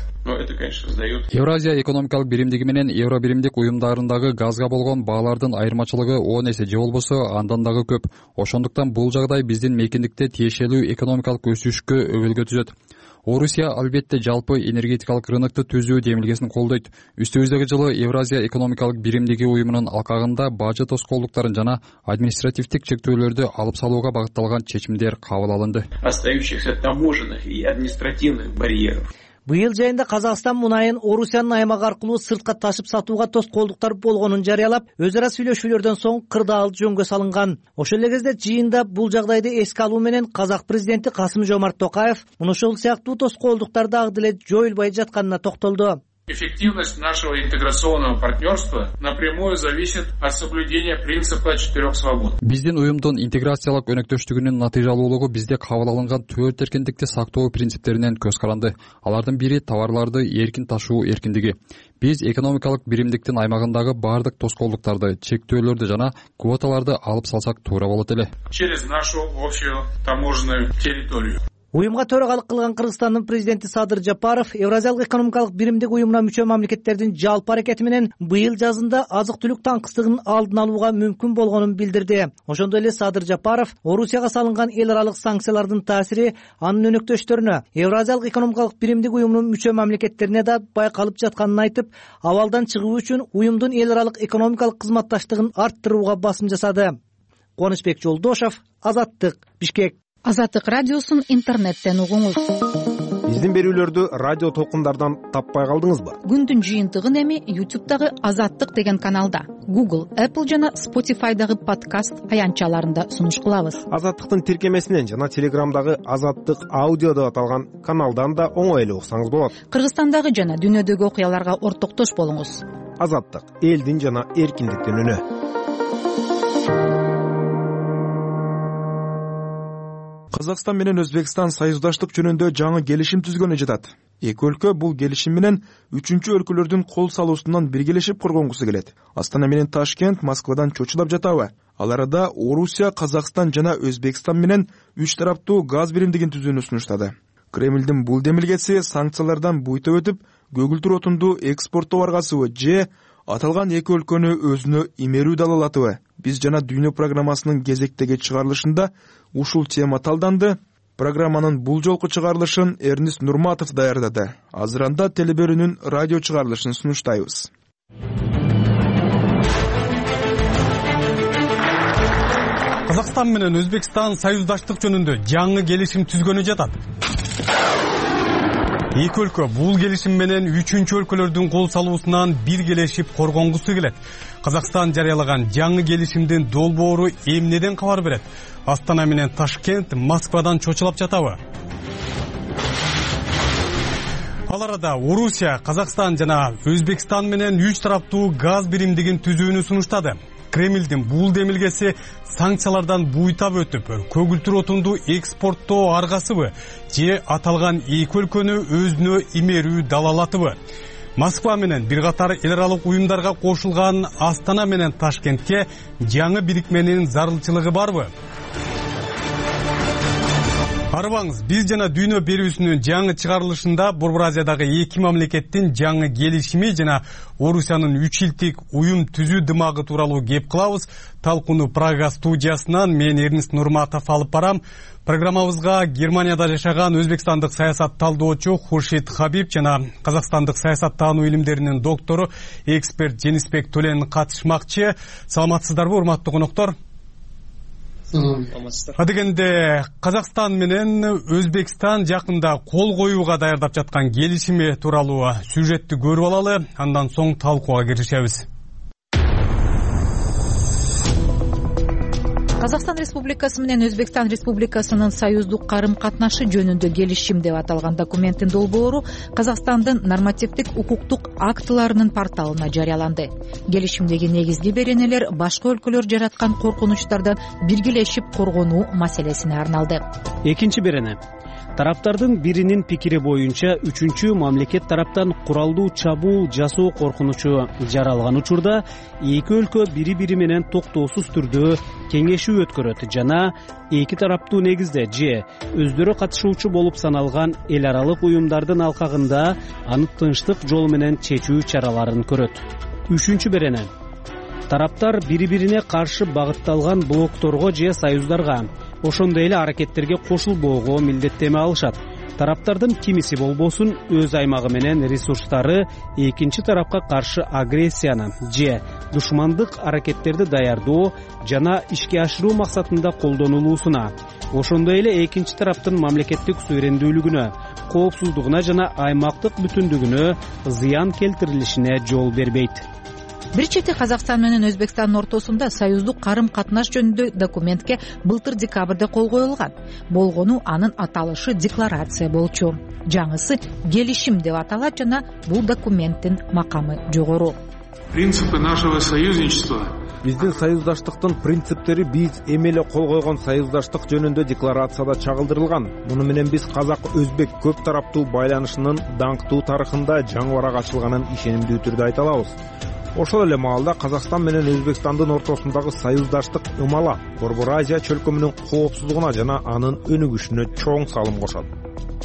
Евразия экономикалык биримдиги менен Евро биримдик уюмдарындагы газга болгон баалардын айырмачылыгы 10 эсе же болбосо андан дагы көп. Ошондуктан бул жагдай биздин мейкиндикте тиешелүү экономикалык өсүшкө өбөлгө түзөт. Орусия албетте жалпы энергетикалык рынокты түзүү демилгесин колдойт. Үстүбүздөгү жылы Евразия экономикалык биримдиги уюмунун алкагында бажы тоскоолдуктарын жана административдик чектөөлөрдү алып салууга багытталган чечимдер кабыл алынды. Остающихся таможенных и административных барьеров. Быйыл жайында Казакстан мунайын Орусиянын аймагы аркылуу сыртка ташып сатууга тоскоолдуктар болгонун жарыялап, өз ара сүйлөшүүлөрдөн соң кырдаал жөнгө салынган. Ошол эле кезде жыйында бул жагдайды эске алуу менен Казак президенти Касым-Жомарт Токаев ушул сыяктуу тоскоолдуктар дагы деле жоюлбай жатканына токтолду. Эффективность нашего интеграционного партнерства напрямую зависит от соблюдения принципа 4 свобод. Биздин уюмдун интеграциялык өнөктөштүгүнүн натыйжалуулугу бизде кабыл алынган 4 эркиндикти сактоо принциптеринен көз каранды. Алардын бири товарларды эркин ташуу эркиндиги. Биз экономикалык биримдиктин аймагындагы бардык тоскоолдуктарды, чектөөлөрдү жана квоталарды алып салсак туура болот эле. Через нашу общую таможенную территорию. Уюмга төрагалык кылган Кыргызстандын президенти Садыр Жапаров Евразиялык экономикалык биримдик уюмуна мүчө мамлекеттердин жалпы аракети менен быйыл жазында азык-түлүк таңкыстыгынын алдын алууга мүмкүн болгонун билдирди. Ошондой эле Садыр Жапаров Орусияга салынган эл аралык санкциялардын таасири анын өнөктөштөрүнө, Евразиялык экономикалык биримдик уюмунун мүчө мамлекеттерине да байкалып жатканын айтып, абалдан чыгуу үчүн уюмдун эл аралык экономикалык кызматташтыгын арттырууга басым жасады. Кубанычбек Жолдошев, Азаттык, Бишкек. Азаттык радиосун интернеттен угуңуз. Биздин берүүлөрдү радио толкундардан таппай калдыңызбы? Күндүн жыйынтыгын эми YouTube'дагы Азаттык деген каналда, Google, Apple жана Spotify'дагы подкаст аянтчаларында сунуш кылабыз. Азаттыктын тиркемесинен жана Телеграмдагы Азаттык аудио деп аталган каналдан да оңой эле уксаңыз болот. Кыргызстандагы жана дүйнөдөгү окуяларга ортоктош болуңуз. Азаттык — элдин жана эркиндиктин үнү. Казакстан менен Өзбекстан союздаштык жөнүндө жаңы келишим түзгөнү жатат. Эки өлкө бул келишим менен үчүнчү өлкөлөрдүн кол салуусунан биргелешип коргонгусу келет. Астана менен Ташкент Москвадан чочулап жатабы? Ал арада Орусия, Казакстан жана Өзбекстан менен үч тараптуу газ биримдигин түзүүнү сунуштады. Кремлдин бул демилгеси санкциялардан буйта өтүп, көгүлтүр отунду экспорттоо аргасыбы же аталган эки өлкөнү өзүнө имерүү далалатыбы? Биз жана дүйнө программасынын кезектеги чыгарылышында ушул тема талданды. Программанын бул жолку чыгарылышын Эрнист Нурматов даярдады. Азыр анда телеберүүнүн радио чыгарылышын сунуштайбыз. Казакстан менен Өзбекстан союздаштык жөнүндө жаңы келишим түзгөнү жатат. Эки өлкө бул келишим менен үчүнчү өлкөлөрдүн кол салуусунан биргелешип коргонгусу келет. Казакстан жарыялаган жаңы келишимдин долбоору эмнеден кабар берет? Астана менен Ташкент Москвадан чочулап жатабы? Ал арада Орусия, Казакстан жана Өзбекстан менен үч тараптуу газ биримдигин түзүүнү сунуштады. Кремлдин бул демилгеси санкциялардан буйтап өтүп, көгүлтүр отунду экспорттоо аргасыбы же аталган эки өлкөнү өзүнө имерүү далалатыбы? Москва менен бир катар эл аралык уюмдарга кошулган Астана менен Ташкентке жаңы бирикменин зарылчылыгы барбы? Арыбаңыз, биз жана дүйнө берүүсүнүн жаңы чыгарылышында Борбор Азиядагы эки мамлекеттин жаңы келишими жана Орусиянын 3 жылдык уюм түзүү дымагы тууралуу кеп кылабыз. Талкууну Прага студиясынан мен Эрнист Нурматов алып барам. Программабызга Германияда жашаган өзбекстандык саясат талдоочу Хуршид Хабиб жана казакстандык саясаттануу илимдеринин доктору, эксперт Женисбек Төлен катышмакчы. Саламатсыздарбы, урматтуу коноктор? Адегенде Казакстан менен Өзбекстан жакында кол коюуга даярдап жаткан келишими тууралуу сюжетти көрүп алалы, андан соң талкууга киришебиз. Казакстан Республикасы менен Өзбекстан Республикасынын союздук карым катнашы жөнүндө келишим деп аталган документтин долбоору Казакстандын нормативдик укуктук актыларынын порталына жарыяланды. Келишимдеги негизги беренелер башка өлкөлөр жараткан коркунучтардан биргелешип коргонуу маселесине арналды. Экинчи берене: тараптардын биринин пикири боюнча үчүнчү мамлекет тараптан куралдуу чабуул жасоо коркунучу жаралган учурда эки өлкө бири-бири менен токтоосуз түрдө кеңешүү өткөрөт жана эки тараптуу негизде же өздөрү катышуучу болуп саналган эл аралык уюмдардын алкагында аны тынчтык жол менен чечүү чараларын көрөт. Үчүнчү берене: тараптар бири-бирине каршы багытталган блокторго же союздарга, ошондой эле аракеттерге кошулбоого милдеттеме алышат. Тараптардын кимиси болбосун өз аймагы менен ресурстары экинчи тарапка каршы агрессияны же душмандык аракеттерди даярдоо жана ишке ашыруу максатында колдонулуусуна, ошондой эле экинчи тараптын мамлекеттик суверендүүлүгүнө, коопсуздугуна жана аймактык бүтүндүгүнө зыян келтирилишине жол бербейт. Бир чети Казакстан менен Өзбекстандын ортосунда союздук карым катнаш жөнүндө документке былтыр декабрда кол коюлган. Болгону анын аталышы декларация болчу. Жаңысы келишим деп аталат жана бул документтин макамы жогору. Принципы нашего союзничества. Биздин союздаштыктын принциптери биз эмеле кол койгон союздаштык жөнүндө декларацияда чагылдырылган. Муну менен биз казак-өзбек көп тараптуу байланышынын даңктуу тарыхында жаңы барак ачылганын ишенимдүү түрдө айта алабыз. Ошол эле маалда Казакстан менен Өзбекстандын ортосундагы союздаштык ымала Борбор Азия чөлкөмүнүн коопсуздугуна жана анын өнүгүшүнө чоң салым кошот.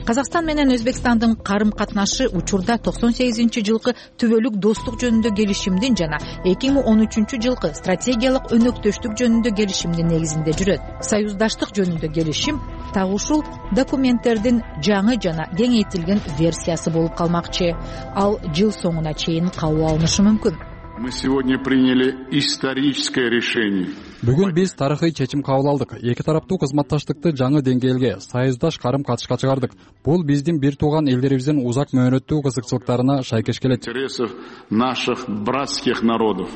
Казакстан менен Өзбекстандын карым катнашы учурда 98-жылкы түбөлүк достук жөнүндө келишимдин жана 2013-жылкы стратегиялык өнөктөштүк жөнүндө келишимдин негизинде жүрөт. Союздаштык жөнүндө келишим так ушул документтердин жаңы жана кеңейтилген версиясы болуп калмакчы. Ал жыл соңуна чейин кабыл алынышы мүмкүн. Мы сегодня приняли историческое решение. Бүгүн биз тарыхый чечим кабыл алдык. Эки тараптуу кызматташтыкты жаңы деңгээлге, союздаш карым-катышка чыгардык. Бул биздин бир тууган элдерибиздин узак мөөнөттүү кызыкчылыктарына шайкеш келет. Интересов наших братских народов.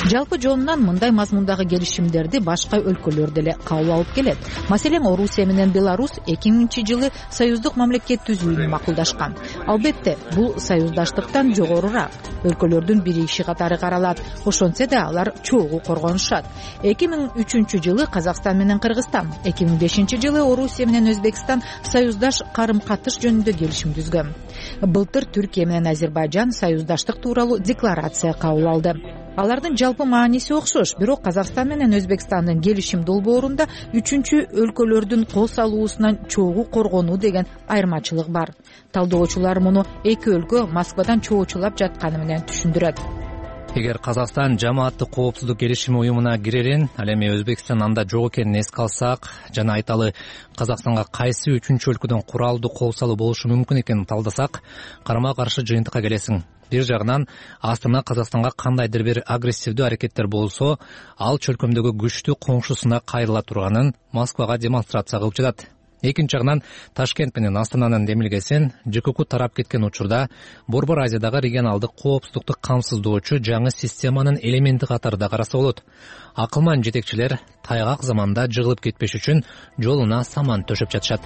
Жалпы жонунан мындай мазмундагы келишимдерди башка өлкөлөр деле кабыл алып келет. Маселен, Орусия менен Беларусь 2000-жылы союздук мамлекет түзүүнү макулдашкан. Албетте, бул союздаштыктан жогорурак. Өлкөлөрдүн биригиши катары каралат. Ошентсе да алар чогуу коргонушат. 2003-жылы Казакстан менен Кыргызстан, 2005-жылы Орусия менен Өзбекстан союздаш карым-катыш жөнүндө келишим түзгөн. Былтыр Түркия менен Азербайжан союздаштык тууралуу декларация кабыл алды. Алардын жалпы мааниси окшош, бирок Казакстан менен Өзбекстандын келишим долбоорунда үчүнчү өлкөлөрдүн кол салуусунан чогуу коргонуу деген айырмачылык бар. Талдоочулар муну эки өлкө Москвадан чоочулап жатканы менен түшүндүрөт. Эгер Казакстан жамааттык коопсуздук келишими уюмуна кирерин, ал эми Өзбекстан анда жок экенин эске алсак жана айталы Казакстанга кайсы үчүнчү өлкөдөн куралдуу кол салуу болушу мүмкүн экенин талдасак, карама каршы жыйынтыкка келесиң. Бир жагынан Астана Казакстанга кандайдыр бир агрессивдүү аракеттер болсо, ал чөлкөмдөгү күчтүү коңшусуна кайрыла турганын Москвага демонстрация кылып жатат. Экинчи жагынан Ташкент менен Астананын демилгесин ЖКК тарап кеткен учурда Борбор Азиядагы регионалдык коопсуздукту камсыздоочу жаңы системанын элементи катарында караса болот. Акылман жетекчилер тайгак заманда жыгылып кетпеш үчүн жолуна саман төшөп жатышат.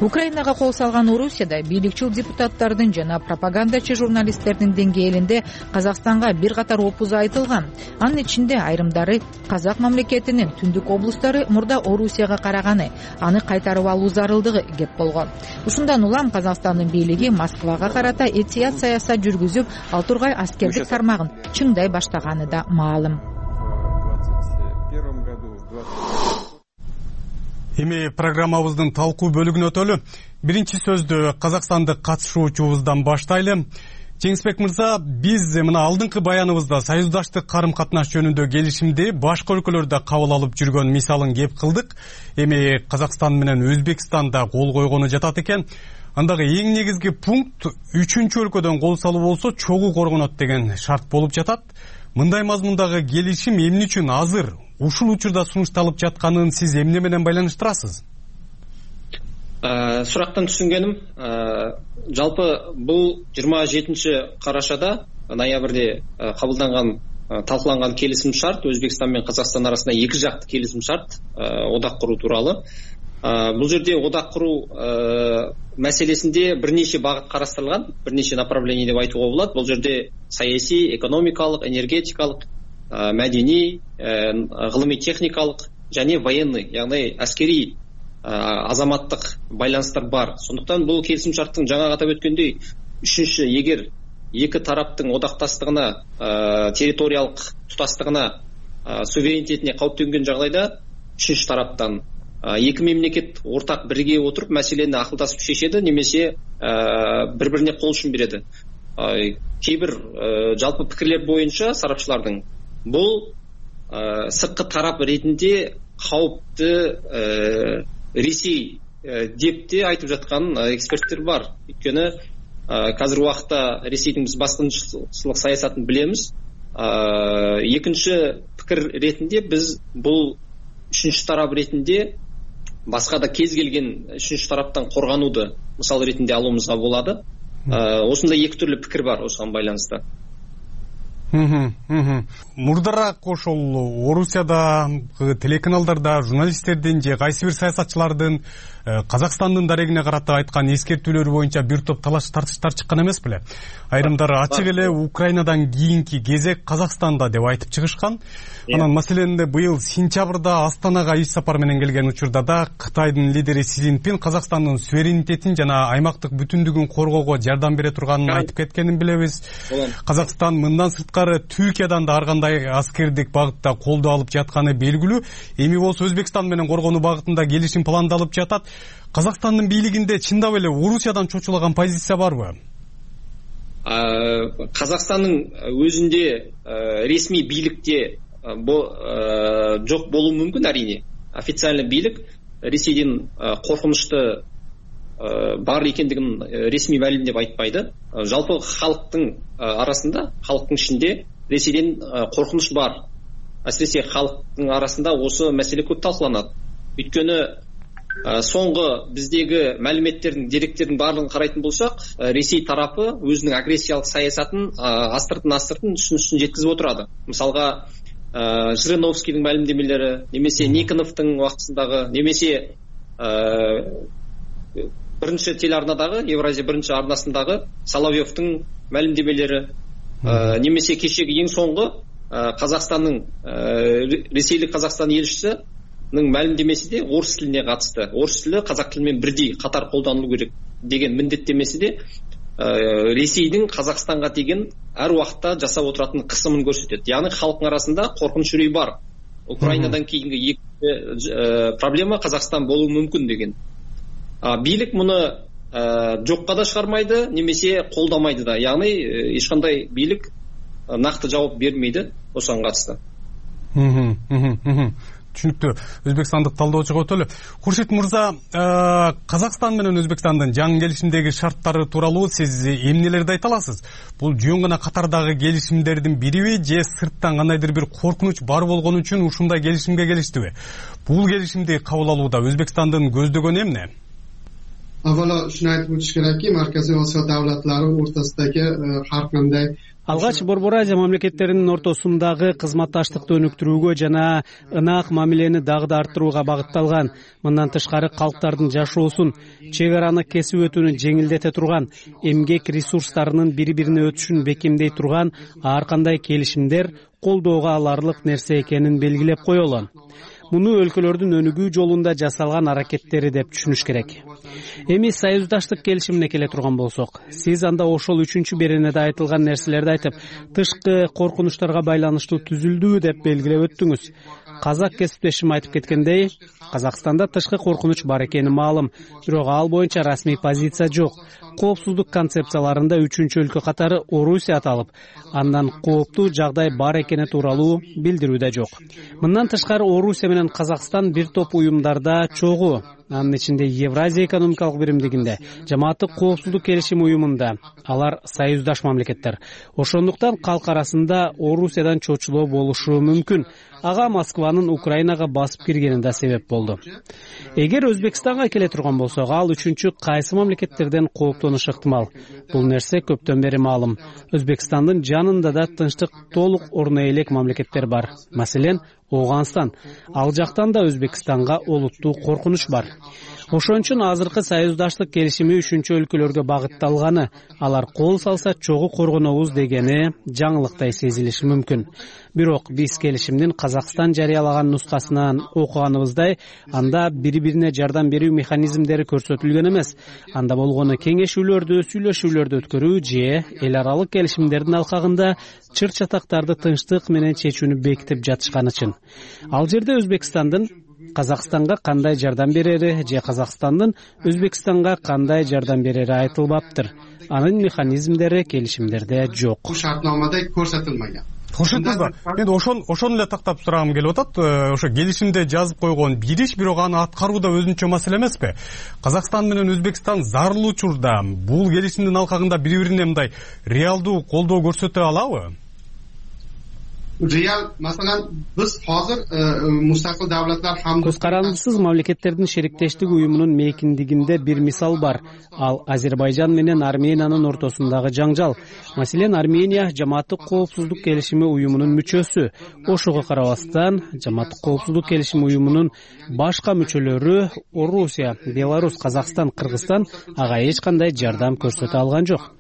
Украинага кол салган Орусияда бийликчил депутаттардын жана пропагандачы журналисттердин деңгээлинде Казакстанга бир катар опуз айтылган. Анын ичинде айрымдары Казак мамлекетинин түндүк облустары мурда Орусияга караганы, аны кайтарып алуу зарылдыгы кеп болгон. Ушундан улам Казакстандын бийлиги Москвага карата этият саясат жүргүзүп, ал тургай аскердик тармагын чыңдай баштаганы да маалым. Эми программабыздын талкуу бөлүгүнө өтөлү. Биринчи сөздү Казакстандык катышуучубуздан баштайлы. Жеңисбек мырза, биз мына алдыңкы баяныбызда союздаштык карым-катнаш жөнүндө келишимди башка өлкөлөрдө кабыл алып жүргөн мисалын кеп кылдык. Эми Казакстан менен Өзбекстан да кол койгону жатат экен. Андагы эң негизги пункт үчүнчү өлкөдөн кол салуу болсо чогуу коргонот деген шарт болуп жатат. Мындай мазмундагы келишим эмне үчүн азыр ушул учурда сунушталып жатканын сиз эмне менен байланыштырасыз? Сурактан түшүнгөнүм, жалпы бул 27-карашада ноябрде кабылданган, талкууланган келисим шарт Өзбекстан менен Казакстан арасында эки жакты келисим шарт, одак куруу тууралуу. Бул жерде одак куруу маселесинде бир нече багыт карастырылган, бир нече направление деп айтууга болот. Бул жерде саясий, экономикалык, энергетикалык, мәдени, гылымый техникалык және военный, яғни әскери, азаматтык байланыстар бар. Сондықтан бұл келісім шарттың жаңа атап өткендей, үшінші, егер екі тараптың одақтастығына, территориялық тұтастығына, суверенитетіне қауіп төнген жағдайда, үшінші тараптан екі мемлекет ортақ бірге отырып мәселені ақылдасып шешеді, немесе бір-біріне қол ұшын береді. Кейбір жалпы пікірлер бойынша сарапшылардың бұл сыртқы тарап ретінде қауіпті Ресей деп те айтып жатқан эксперттер бар. Өйткені қазір уақытта Ресейдің біз басқыншылық саясатын білеміз. Екінші пікір ретінде біз бұл үшінші тарап ретінде басқа да кез келген үшінші тараптан қорғануды мысал ретінде алуымызға болады. Осында екі түрлі пікір бар осыған байланысты. Мурдараак ошол Орусияда телеканалдарда журналисттердин же кайсы бир саясатчылардын Казакстандын дарегине карата айткан эскертүүлөрү боюнча бир топ талаш тартыштар чыккан эмес беле? Айрымдары ачык эле Украинадан кийинки кезек Казакстанда деп айтып чыгышкан. Анан маселен быйыл сентябрда Астанага иш сапар менен келген учурда да Кытайдын лидери Си Цзиньпин Казакстандын суверенитетин жана аймактык бүтүндүгүн коргоого жардам бере турганын айтып кеткенин билебиз. Казакстан мындан сырткары Түркиядан да ар кандай аскердик багытта колдоо алып жатканы белгилүү. Эми болсо Өзбекстан менен коргонуу багытында келишим пландалып жатат. Казакстандын бийлигинде чындап эле Орусиядан чочулаган позиция барбы? Казакстандын өзүндө ресми бийликте жок болуу мүмкүн, арине. Официальный бийлик Ресейдин коркунучту бар экендигин ресми маалимдеп айтпайды. Жалпы халктын арасында, халктын ичинде Ресейден коркунуч бар. Әсіресе халктын арасында осы маселе көп талкууланат. Өйткөнү соңғы биздеги маалиметтердин, деректердин баардыгын карайтын болсак, Ресей тарапы өзүнүн агрессиялык саясатын астыртын үстүн жеткизип отурады. Мисалга Жириновскийдин маалимдемелери, немесе Никоновдун убактысындагы, немесе биринчи телеарнадагы, Евразия биринчи арнасындагы Соловьевдун маалимдемелери, немесе кечеги эң соңку Казакстандын Ресейлик Казакстан элчисинин маалимдемеси де орыс тилине катышты. Орыс тили казак тили менен бирдей катар колдонулу керек деген міндеттемеси де Ресейдин Казакстанга деген ар убакта жасап отуратын кысымын көрсөтөт. Яғни халктын арасында коркунуч үрөй бар. Украинадан кийинки экинчи проблема Казакстан болуу мүмкүн деген. Бийлик муну жокко да чыгармайды, немесе колдомайды да. Яғни эч кандай бийлик накты жооп бермейди ошого катышты. Түшүнүктүү. Өзбекстандык талдоочуга өтөлү. Куршит мырза, Казакстан менен Өзбекстандын жаңы келишимдеги шарттары тууралуу сиз эмнелерди айта аласыз? Бул жөн гана катардагы келишимдердин бириби же сырттан кандайдыр бир коркунуч бар болгон үчүн ушундай келишимге келиштиби? Бул келишимди кабыл алууда Өзбекстандын көздөгөнү эмне? Avvalo shuni aytib o'tish kerakki, Markaziy Osiyo davlatlari o'rtasidagi har qanday Алгач Борбор Азия мамлекеттеринин ортосундагы кызматташтыкты өнүктүрүүгө жана ынак мамилени дагы да арттырууга багытталган. Мындан тышкары калктардын жашоосун, чек араны кесип өтүүнү жеңилдете турган, эмгек ресурстарынын бири-бирине өтүшүн бекемдей турган ар кандай келишимдер колдоого аларлык нерсе экенин белгилеп коелу. Муну өлкөлөрдүн өнүгүү жолунда жасалган аракеттери деп түшүнүш керек. Эми союздаштык келишимине келе турган болсок, сиз анда ошол 3-беренеде айтылган нерселерди айтып, тышкы коркунучтарга байланыштуу түзүлдүү деп белгилеп өттүңүз. Казак кесиптешим айтып кеткендей, Казакстанда тышкы коркунуч бар экени маалым, бирок ал боюнча расмий позиция жок. Коопсуздук концепцияларында 3-өлкө катары Орусия аталып, андан кооптуу жагдай бар экени тууралуу билдирүү да жок. Мындан тышкары Орусия менен Казакстан бир топ уюмдарда чогуу, анын ичинде Евразия экономикалык биримдигинде, жамааттык коопсуздук келишим уюмунда. Алар союздаш мамлекеттер. Ошондуктан калк арасында Орусиядан чочулоо болушу мүмкүн. Ага Москванын Украинага басып киргени да себеп болду. Эгер Өзбекстанга келе турган болсок, ал 3-чү кайсы мамлекеттерден кооптонушу ыктымал? Бул нерсе көптөн бери маалым. Өзбекстандын жанында да тынчтык толук орно элек мамлекеттер бар. Маселен, Оганстан. Ал жактан да Өзбекстанга олуттуу коркунуч бар. Ошон үчүн азыркы союздаштык келишими 3-чү өлкөлөргө багытталганы, алар кол салса чогуу коргонобуз дегени жаңылыктай сезилиши мүмкүн. Бирок биз келишимдин Казакстан жарыялаган нускасынан окуганыбыздай, анда бири-бирине жардам берүү механизмдери көрсөтүлгөн эмес. Анда болгону кеңешүүлөрдү, сүйлөшүүлөрдү өткөрүү же эл аралык келишимдердин алкагында чыр-чатактарды тынчтык менен чечүүнү бекитип жатышканы чын. Ал жерде Өзбекстандын Казакстанга кандай жардам берери же Казакстандын Өзбекстанга кандай жардам берери айтылбаптыр. Анын механизмдери келишимдерде жок. Шартномада көрсөтүлмөгөн. Ошондо мен ошону эле тактап сурагым келип атат. Ошо келишимде жазып койгон бир иш, бирок аны аткаруу да өзүнчө маселе эмеспи? Казакстан менен Өзбекстан зарыл учурда бул келишимдин алкагында бири-бирине мындай реалдуу колдоо көрсөтө алабы? Real, masalan, biz hozir mustaqil davlatlar hamda көз карандысыз мамлекеттердин шериктештик уюмунун мейкиндигинде бир мисал бар. Ал Азербайжан менен Армениянын ортосундагы жаңжал. Маселен, Армения жамааттык коопсуздук келишими уюмунун мүчөсү. Ошого карабастан, жамааттык коопсуздук келишими уюмунун башка мүчөлөрү Орусия, Беларусь, Казакстан, Кыргызстан ага эч кандай жардам көрсөтө алган жок.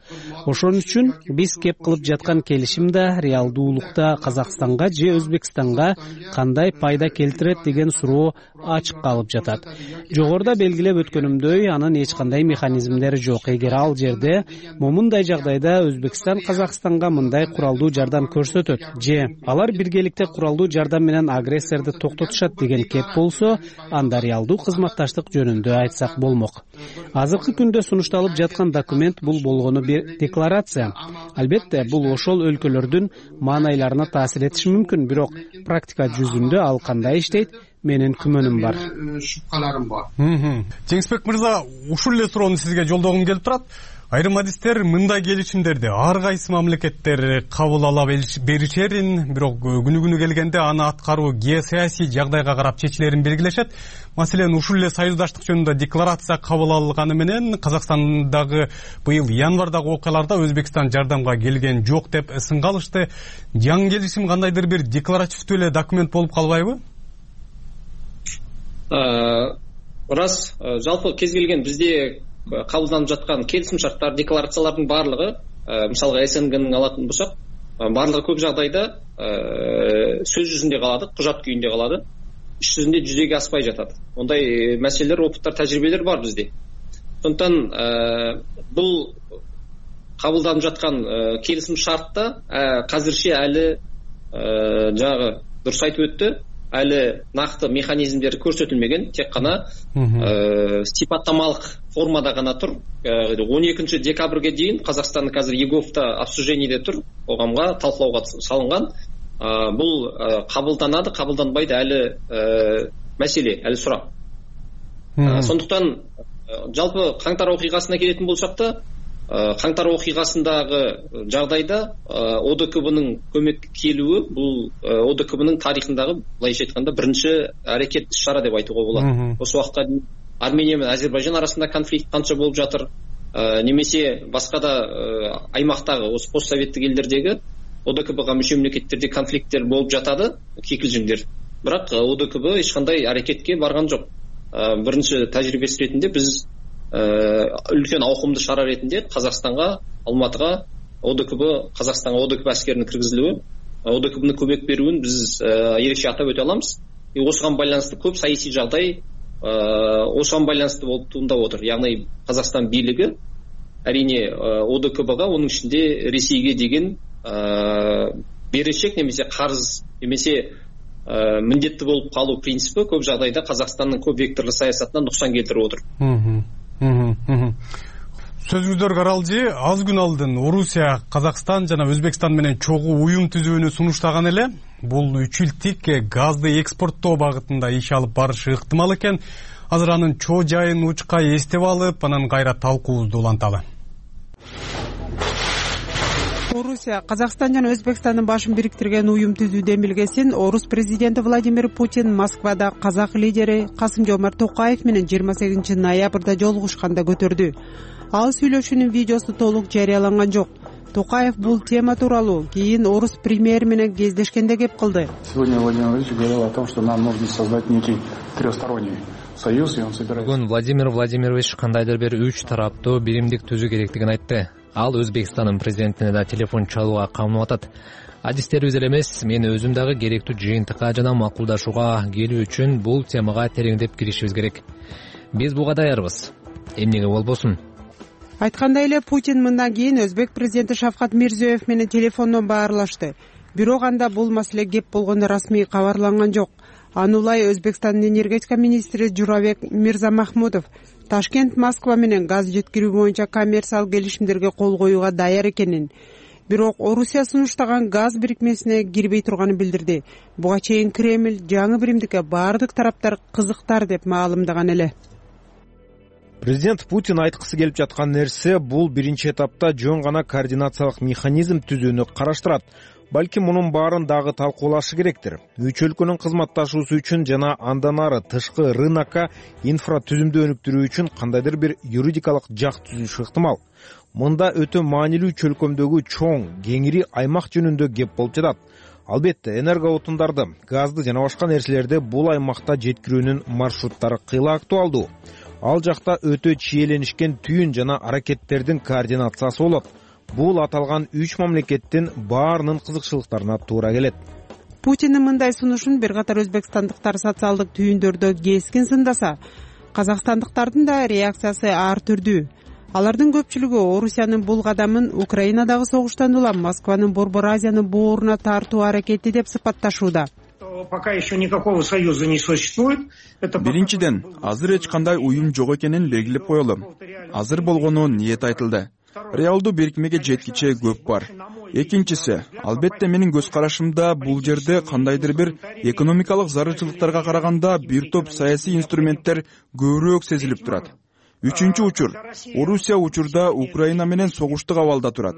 Ошон үчүн биз кеп кылып жаткан келишим да реалдуулукта Казакстанга же Өзбекстанга кандай пайда келтирет деген суроо ачык калып жатат. Жогоруда белгилеп өткөнүмдөй, анын эч кандай механизмдери жок. Эгер ал жерде момундай жагдайда Өзбекстан Казакстанга мындай куралдуу жардам көрсөтөт же алар биргеликте куралдуу жардам менен агрессорду токтотушат деген кеп болсо, анда реалдуу кызматташтык жөнүндө айтсак болмок. Азыркы күндө сунушталып жаткан документ бул болгону бир декларация. Албетте, бул ошол өлкөлөрдүн маанайларына таасир этиши мүмкүн, бирок практика жүзүндө ал кандай иштейт, менин күмөнүм бар. Шубкаларым бар. Жеңисбек мырза, ушул эле суроону сизге жолдогум келип турат. Айрым адистер мындай келишимдерди ар кайсы мамлекеттер кабыл ала беришерин, бирок күнү келгенде аны аткаруу геосаясий жагдайга карап чечилерин белгилешет. Маселен, ушул эле союздаштык жөнүндө декларация кабыл алынганы менен Казакстандагы быйыл январдагы окуяларда Өзбекстан жардамга келген жок деп сынга алышты. Жаңы келишим кандайдыр бир декларативдүү эле документ болуп калбайбы? Рас, жалпы кез келген бизде кабылданып жаткан келисим шарттар, декларациялардын баардыгы, мисалга СНГнын алатын болсок, баардыгы көп жагдайда сөз жүзүндө калады, кужат күйүндө калады, иш жүзүндө жүзөгө аспай жатат. Ондай маселелер, опыттар, тажрыйбелер бар бизде. Сондуктан бул кабылданып жаткан келисим шартта азырча али жанагы дурус айтып өттү, али накты механизмдер көрсөтүлмөгөн, тек гана сипаттамалык формада гана тур. 12 декабрга дейин Казакстандын азыр ЕГОВда обсуждениеде тур, коомго талкуулоого салынган. Бул кабылданады, кабылданбайды али маселе, али сурак. Сондуктан жалпы каңтар окуйгасына келетін болсак да, каңтар окуйгасындагы жагдайда ОДКБнын көмөккө келүүү бул ОДКБнын тарыхындагы, былайча айтканда, биринчи аракет иш-чара деп айтууга болот. Осы убакытка дейин Армения менен Азербайжан арасында конфликт канча болуп жатыр, немесе башка да аймактагы, осы постсоветтик элдердеги ОДКБга мүчө мамлекеттерде конфликттер болуп жатады, кикилжиңдер. Бирок ОДКБ эч кандай аракетке барган жок. Биринчи тажрыйбеси ретинде биз үлкен ауқымды шара ретинде Казакстанга, Алматыга ОДКБ, Казакстанга ОДКБ аскеринин киргизилүүü, ОДКБнын көмөк берүүн биз эрекче атап өтө алабыз. Осуга байланыштуу көп саясий жагдай осуга байланыштуу болуп туурап отур. Яғни Казакстан бийлиги әрине ОДКБга, онун ичинде Ресейге деген берешек немесе карыз немесе міндетті болуп калуу принципи көп жагдайда Казакстандын көп векторлуу саясатына нуксан келтирип отур. Сөзүңүздөр каралжы, аз күн алдын Орусия, Казакстан жана Өзбекстан менен чогуу уюм түзүүнү сунуштаган эле. Бул 3 жылдык газды экспорттоо багытында иш алып барышы ыктымал экен. Азыр анын чоо жайын учкай эстеп алып, анан кайра талкуубузду уланталы. Орусия, Казакстан жана Өзбекстандын башын бириктирген уюм түзүү демилгесин Орус президенти Владимир Путин Москвада казак лидери Касым-Жомарт Токаев менен 28 ноябрда жолугушканда көтөрдү. Ал сүйлөшүүнүн видеосу толук жарыяланган жок. Токаев бул тема тууралуу кийин орус премьери менен кездешкенде кеп кылды. Сегодня Владимир Владимирович говорил о том, что нам нужно создать некий трехсторонний союз, и он собирается. Бүгүн Владимир Владимирович кандайдыр бир 3 тараптуу биримдик түзүү керектигин айтты. Ал Өзбекстандын президентине да телефон чалууга камынып атат. Адистерибиз эле эмес, мен өзүм дагы керектүү жыйынтыкка жана макулдашууга келүү үчүн бул темага тереңдеп киришибиз керек. Биз буга даярбыз. Эмнеге болбосун? Айткандай эле Путин мындан кийин Өзбек президенти Шавкат Мирзиёев менен телефондон баарлашты. Бирок анда бул маселе кеп болгону расмий кабарланган жок. Анулай Өзбекстандын энергетика министри Журабек Мирзамахмудов Ташкент, Москва менен газ жеткирүү боюнча коммерциялык келишимдерге кол коюуга даяр экенин, бирок Орусия сунуштаган газ бирикмесине кирбей турганын билдирди. Буга чейин Кремль жаңы биримдикке баардык тараптар кызыктар деп маалымдаган эле. Президент Путин айткысы келип жаткан нерсе бул биринчи этапта жөн гана координациялык механизм түзүүнү караштырат. Балким мунун баарын дагы талкуулашы керектир. Үч өлкөнүн кызматташуусу үчүн жана андан ары тышкы рынокко инфра түзүмдү өнүктүрүү үчүн кандайдыр бир юридикалык жак түзүш ыктымал. Мында өтө маанилүү үч өлкөмдөгү чоң, кеңири аймак жөнүндө кеп болуп жатат. Албетте, энерго отундарды, газды жана башка нерселерди бул аймакта жеткирүүнүн маршруттары кыйла актуалдуу. Ал жакта өтө чиеленишкен түйүн жана аракеттердин координациясы болот. Бул аталган 3 мамлекеттин баарынын кызыкчылыктарына туура келет. Путиндин мындай сунушун бир катар өзбекстандыктар социалдык түйүндөрдө кескин сындаса, казакстандыктардын да реакциясы ар түрдүү. Алардын көпчүлүгү Орусиянын бул кадамын Украинадагы согуштан улам Москванын Борбор Азиянын бооруна тартуу аракети деп сыпатташууда. Пока еще никакого союза не существует. Биринчиден, азыр эч кандай уюм жок экенин белгилеп коелу. Азыр болгону ниет айтылды. Реалдуу бирикмеге жеткиче көп бар. Экинчиси, албетте менин көз карашымда бул жерде кандайдыр бир экономикалык зарылчылыктарга караганда бир топ саясий инструменттер көбүрөөк сезилип турат. Үчүнчү учур, Орусия учурда Украина менен согуштук абалда турат.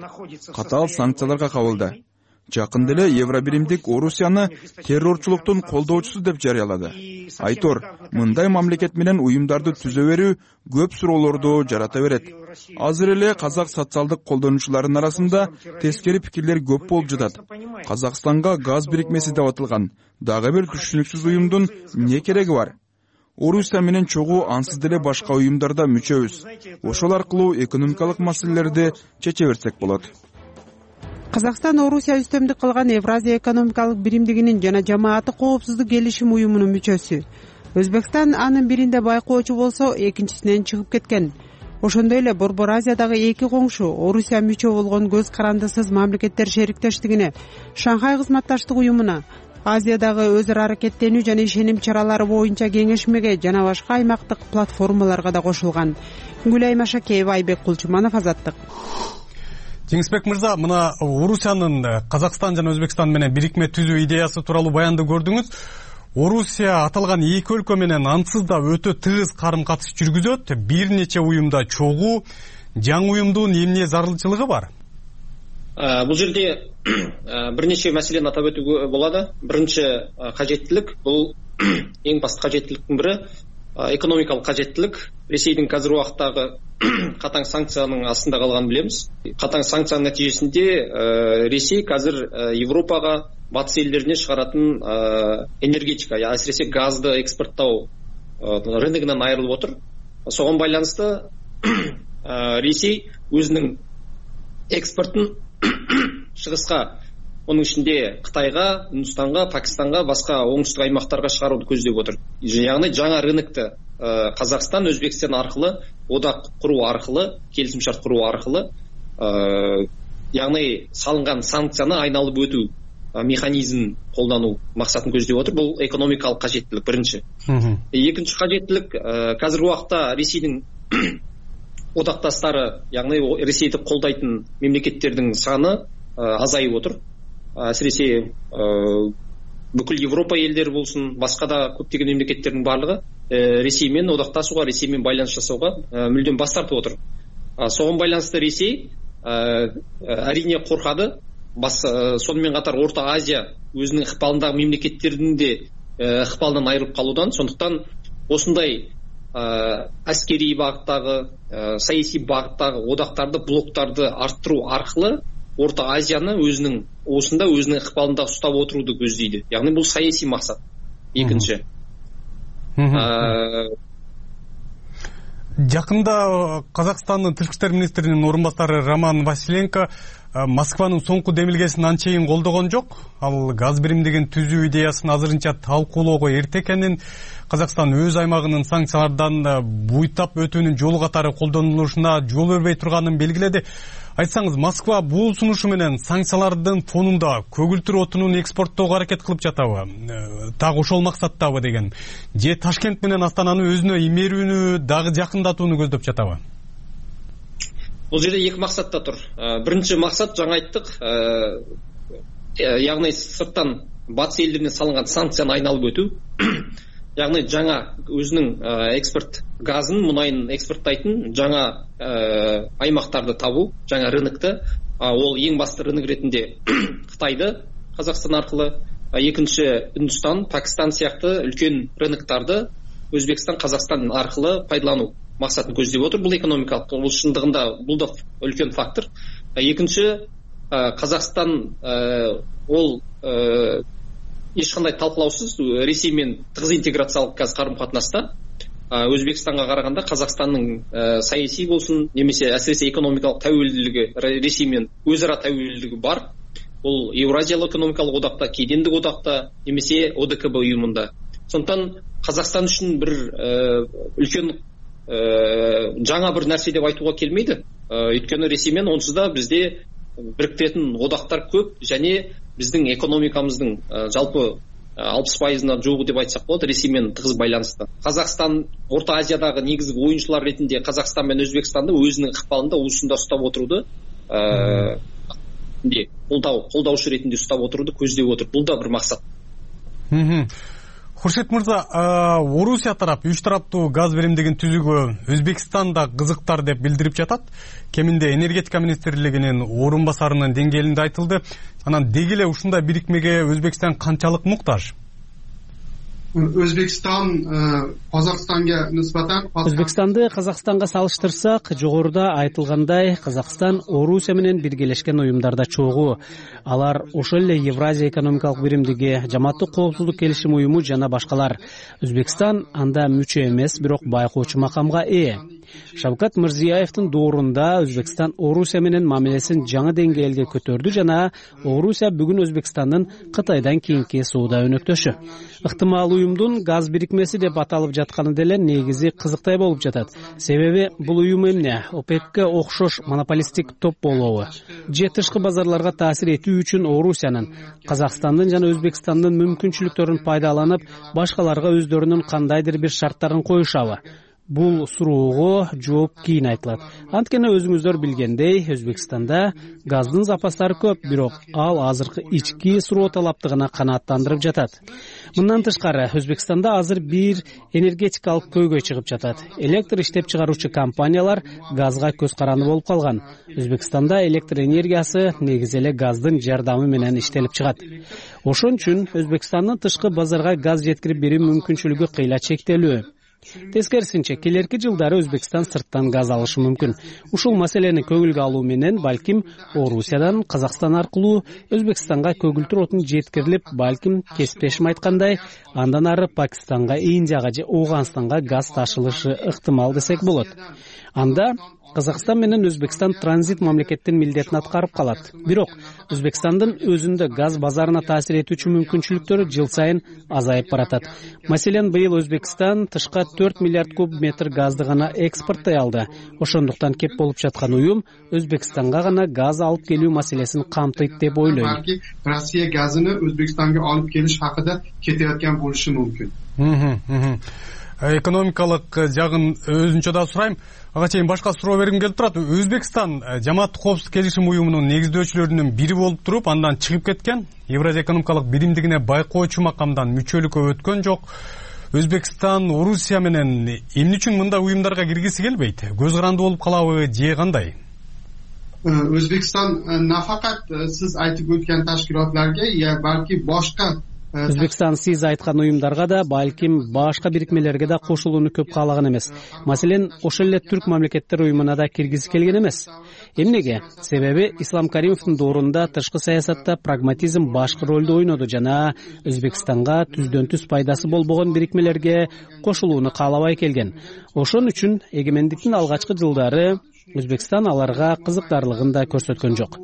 Катаал санкцияларга кабылды. Жакында эле Евробиримдик Орусияны террорчулуктун колдоочусу деп жарыялады. Айтор, мындай мамлекет менен уюмдарды түзө берүү көп суроолорду жарата берет. Азыр эле казак социалдык колдонуучуларынын арасында тескери пикирлер көп болуп жатат. Казакстанга газ бирикмеси деп аталган дагы бир түшүнүксүз уюмдун эмне кереги бар? Орусия менен чогуу ансыз деле башка уюмдарда мүчөбүз. Ошол аркылуу экономикалык маселелерди чече берсек болот. Казакстан Орусия үстөмдүк кылган Евразия экономикалык биримдигинин жана жамааттык коопсуздук келишим уюмунун мүчөсү. Өзбекстан анын биринде байкоочу болсо, экинчисинен чыгып кеткен. Ошондой эле Борбор Азиядагы эки коңшу Орусия мүчө болгон көз карандысыз мамлекеттер шериктештигине, Шанхай кызматташтык уюмуна, Азиядагы өз ара аракеттенүү жана ишеним чаралары боюнча кеңешмеге жана башка аймактык платформаларга да кошулган. Гүлай Машакеева, Айбек Кулчуманов, Азаттык. Жеңисбек мырза, мына Орусиянын Казакстан жана Өзбекстан менен бирикме түзүү идеясы тууралуу баянды көрдүңүз. Орусия аталган эки өлкө менен ансыз да өтө тыгыз карым катыш жүргүзөт. Бир нече уюмда чогуу, жаңы уюмдун эмне зарылчылыгы бар? Бул жерде бир нече маселени атап өтүүгө болот. Биринчи кажеттилик, бул эң башкы кажеттиликтин бири экономикалык кажеттилик. Ресейдин казыркы убактагы катаң санкциянын астында калганын билебиз. Катаң санкциянын натыйжесинде Ресей азыр Европага, батыс элдерине чыгаратын энергетика, асиресе газды экспорттоо рыногунан айрылып отур. Согон байланыштуу Ресей өзүнүн экспортун чыгыска, онун ичинде Кытайга, Үндүстанга, Пакистанга, башка оңтүстүк аймактарга чыгарууну көздөп отур. Яғни жаңа рынокто Казакстан, Өзбекстан аркылы, одак куруу аркылы, келисим шарт куруу аркылы, яғни салынган санкцияны айналып өтүү механизмин колдонуу максатын көздөп отур. Бул экономикалык кажеттилик биринчи. Экинчи кажеттилик, азыркы убакта Ресейдин одакташтары, яғни Ресейди колдойтун мемлекеттердин саны азайып отур. Асиресе бүкүл Европа элдери болсун, башка да көптөгөн мемлекеттердин баардыгы Ресей менен одакташууга, Ресей менен байланыш жасоого мүлдөн бас тартып отур. Согон байланыштуу Ресей арине коркады. Сонымен катар Орто Азия өзүнүн ыкпалындагы мемлекеттердин де ыкпалынан айрылып калуудан, сондуктан осундай аскерий багыттагы, саясий багыттагы одактарды, блоктарды арттыруу аркылы Орто Азияны өзүнүн оосунда, өзүнүн ыкпалында уштап отурууду көздөйдү. Яғни бул саясий максат. Экинчи. Жакында Казакстандын тышкы иштер министринин орун басары Роман Василенко Москванын соңку демилгесин анчейин колдогон жок. Ал газ биримдигин түзүү идеясын азырынча талкуулоого эрте экенин, Казакстан өз аймагынын санкциялардан буйтап өтүүнүн жолу катары колдонулушуна жол бербей турганын белгиледи. Айтсаңыз, Москва бул сунушу менен санкциялардын фонунда көгүлтүр отунун экспорттоого аракет кылып жатабы? Так ошол максаттабы деген. Же Ташкент менен Астананы өзүнө имерүүнү дагы жакындатууну көздөп жатабы? Бул жерде эки максатта тур. Биринчи максат, жаңа айттык, яғни сырттан батыс элдерине салынган санкцияны айналып өтүү. Яғни жаңа өзүнүн экспорт газын, мунайын экспорттайтын жаңа аймактарды табуу, жаңа рынокты. Ол эң басты рынок ретинде Кытайды, Казакстан аркылы, экинчи Үндүстан, Пакистан сыяктуу үлкөн рыноктарды Өзбекстан, Казакстан аркылы пайдалануу максатын көздөп отур. Бул экономикалык, бул шындыгында бул да үлкөн фактор. Экинчи, Казакстан ол эч кандай талкуулаусуз Ресей менен тыгыз интеграциялык карым катнаста. Өзбекстанга караганда Казакстандын саясий болсун, немесе асиресе экономикалык тәуелдүүлүгү, Ресей менен өз ара тәуелдүүлүгү бар. Бул Евразиялык экономикалык одакта, Кедендик одакта, немесе ОДКБ уюмунда. Сондуктан Казакстан үчүн бир үлкөн жаңа бир нерсе деп айтууга келмейди. Өйткөнү Ресей менен онсуз да бизде бириктиретін одақтар көп, және біздің экономикамыздың жалпы 60%-на жуығы деп айтсақ болады Ресеймен тығыз байланысты. Қазақстан Орта Азиядағы негізгі ойыншылар ретінде Қазақстан мен Өзбекстанды өзінің ықпалында уысында ұстап отыруды ретинде колдоушу ретинде уктап отурууну көздөп отуруп, бул да бир максат. Хуршит мырза, Орусия тарап 3 тараптуу газ беримдигин түзүүгө Өзбекстан да кызыктар деп билдирип жатат. Кеминде энергетика министрлигинин орун басарынын деңгээлинде айтылды. Анан деги эле ушундай бирикмеге Өзбекстан канчалык муктаж? Өзбекстанды Казакстанга салыштырсак, жогоруда айтылгандай, Казакстан Орусия менен биргелешкен уюмдарда чогуу. Алар ошол эле Евразия экономикалык биримдиги, Жамааттык коопсуздук келишим уюму жана башкалар. Өзбекстан анда мүчө эмес, бирок байкоочу макамга ээ. Шавкат Мирзиёевдин доорунда Өзбекстан Орусия менен мамилесин жаңы деңгээлге көтөрдү жана Орусия бүгүн Өзбекстандын Кытайдан кийинки соода өнөктөшү. Ыктымал уюмдун газ бирикмеси деп аталып жатканы деле негизи кызыктай болуп жатат. Себеби бул уюм эмне? ОПЕКке окшош монополисттик топ болобу? Же тышкы базарларга таасир этүү үчүн Орусиянын, Казакстандын жана Өзбекстандын мүмкүнчүлүктөрүн пайдаланып, башкаларга өздөрүнүн кандайдыр бир шарттарын коюшабы? Бул суроого жооп кийин айтылат. Анткени өзүңүздөр билгендей, Өзбекстанда газдын запастары көп, бирок ал азыркы ички суроо талаптыгына канааттандырып жатат. Мындан тышкары, Өзбекстанда азыр бир энергетикалык көйгөй чыгып жатат. Электр иштеп чыгаруучу компаниялар газга көз каранды болуп калган. Өзбекстанда электр энергиясы негизи эле газдын жардамы менен иштелип чыгат. Ошон үчүн Өзбекстандын тышкы базарга газ жеткирип берүү мүмкүнчүлүгү кыйла чектелүү. Тескерисинче, келерки жылдары Өзбекстан сырттан газ алышы мүмкүн. Ушул маселени көңүлгө алуу менен балким Орусиядан Казакстан аркылуу Өзбекстанга көгүлтүр отун жеткирилип, балким кесиптешим айткандай, андан ары Пакистанга, Индияга же Ооганстанга газ ташылышы ыктымал десек болот. Анда Казакстан менен Өзбекстан транзит мамлекеттин милдетин аткарып калат. Бирок Өзбекстандын өзүндө газ базарына таасир этүүчү мүмкүнчүлүктөрү жыл сайын азайып баратат. Маселен, быйыл Өзбекстан тышка 4 миллиард куб метр газды гана экспорттой алды. Ошондуктан кеп болуп жаткан уюм Өзбекстанга гана газ алып келүү маселесин камтыйт деп ойлойм. Балки Россия газыны Өзбекстанга алып келиш хакында кетип аткан болушу мүмкүн. Экономикалык жагын өзүнчө да сурайм. Ага чейин башка суроо бергим келип турат. Өзбекстан Жамааттык коопсуздук келишим уюмунун негиздөөчүлөрүнүн бири болуп туруп, андан чыгып кеткен. Евразия экономикалык биримдигине байкоочу макамдан мүчөлүккө өткөн жок. Өзбекстан Орусия менен эмне үчүн мындай уюмдарга киргиси келбейт? Көз каранды болуп калабы же кандай? Өзбекстан нафакат сиз айтып өткөн ташкилотларга, я балки башка Өзбекстан сиз айткан уюмдарга да, балким башка бирикмелерге да кошулууну көп каалаган эмес. Маселен, ошол эле түрк мамлекеттер уюмуна да киргизи келген эмес. Эмнеге? Себеби Ислам Каримовдун доорунда тышкы саясатта прагматизм башкы ролду ойноду жана Өзбекстанга түздөн түз пайдасы болбогон бирикмелерге кошулууну каалабай келген. Ошон үчүн эгемендиктин алгачкы жылдары Өзбекстан аларга кызыктарлыгын да көрсөткөн жок.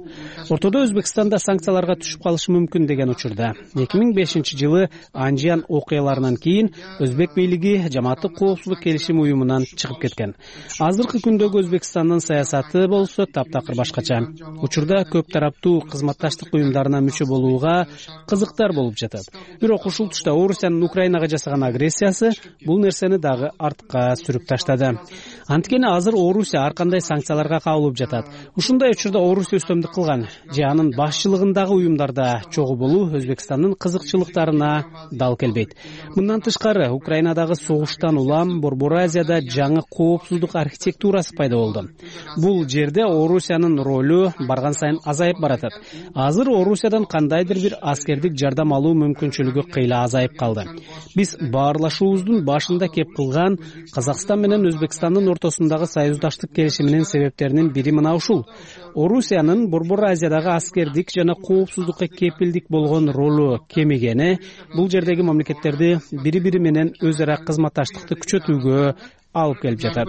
Ортодо Өзбекстанда санкцияларга түшүп калышы мүмкүн деген учурда 2005-жылы Анжиан окуяларынан кийин Өзбек бийлиги Жамааттык коопсуздук келишим уюмунан чыгып кеткен. Азыркы күндөгү Өзбекстандын саясаты болсо таптакыр башкача. Учурда көп тараптуу кызматташтык уюмдарына мүчө болууга кызыктар болуп жатат. Бирок ушул тушта Орусиянын Украинага жасаган агрессиясы бул нерсени дагы артка сүрүп таштады. Анткени азыр Орусия ар кандай санкцияларга кабылып жатат. Ушундай учурда Орусия үстөмдүк кылган же анын башчылыгындагы уюмдарда чогуу болуу Өзбекстандын кызыкчылыктарына дал келбейт. Мындан тышкары, Украинадагы согуштан улам Борбор Азияда жаңы коопсуздук архитектурасы пайда болду. Бул жерде Орусиянын ролу барган сайын азайып баратат. Азыр Орусиядан кандайдыр бир аскердик жардам алуу мүмкүнчүлүгү кыйла азайып калды. Биз баарлашуубуздун башында кеп кылган Казакстан менен Өзбекстандын ортосундагы союздаштык келишиминин себептеринин бири мына ушул. Орусиянын Борбор Азиядагы аскердик жана коопсуздукка кепилдик болгон ролу кемигени бул жердеги мамлекеттерди бири-бири менен өз ара кызматташтыкты күчөтүүгө алып келип жатат.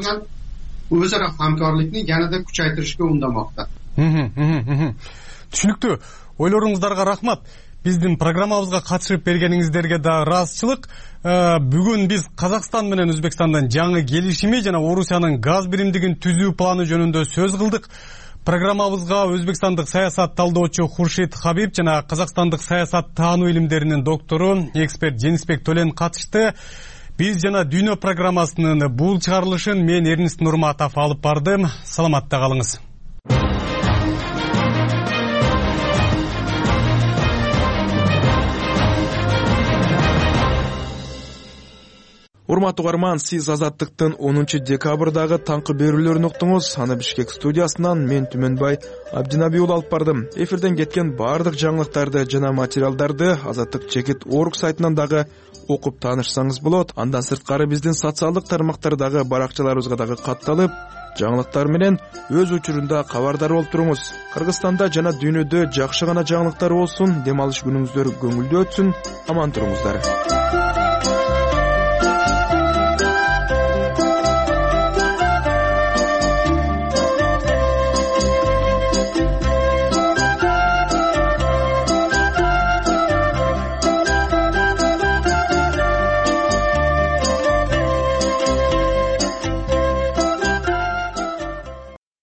Өз ара хамкарлыкты yanada күчөйтүрүшкө ундамакта. Түшүнүктүү. Ойлоруңуздарга рахмат. Биздин программабызга катышып бергениңиздерге да ыраазычылык. Бүгүн биз Казакстан менен Өзбекстандын жаңы келишими жана Орусиянын газ биримдигин түзүү планы жөнүндө сөз кылдык. Программабызга өзбекстандык саясат талдоочу Хуршит Хабиб жана казакстандык саясат таануу илимдеринин доктору, эксперт Женисбек Төлен катышты. Биз жана Дүйнө программасынын бул чыгарылышын мен Эрнист Нурматов алып бардым. Саламатта калыңыз. урматтуу угарман, сиз Азаттыктын 10 декабрдагы таңкы берүүлөрүн уктуңуз. Аны Бишкек студиясынан мен Түмөнбай Абдинабий уулу алып бардым. Эфирден кеткен баардык жаңылыктарды жана материалдарды Азаттык чекит орг сайтынан дагы окуп таанышсаңыз болот. Андан сырткары биздин социалдык тармактардагы баракчаларыбызга дагы катталып, жаңылыктар менен өз учурунда кабардар болуп туруңуз. Кыргызстанда жана дүйнөдө жакшы гана жаңылыктар болсун, дем алыш күнүңүздөр көңүлдүү өтсүн, аман туруңуздар.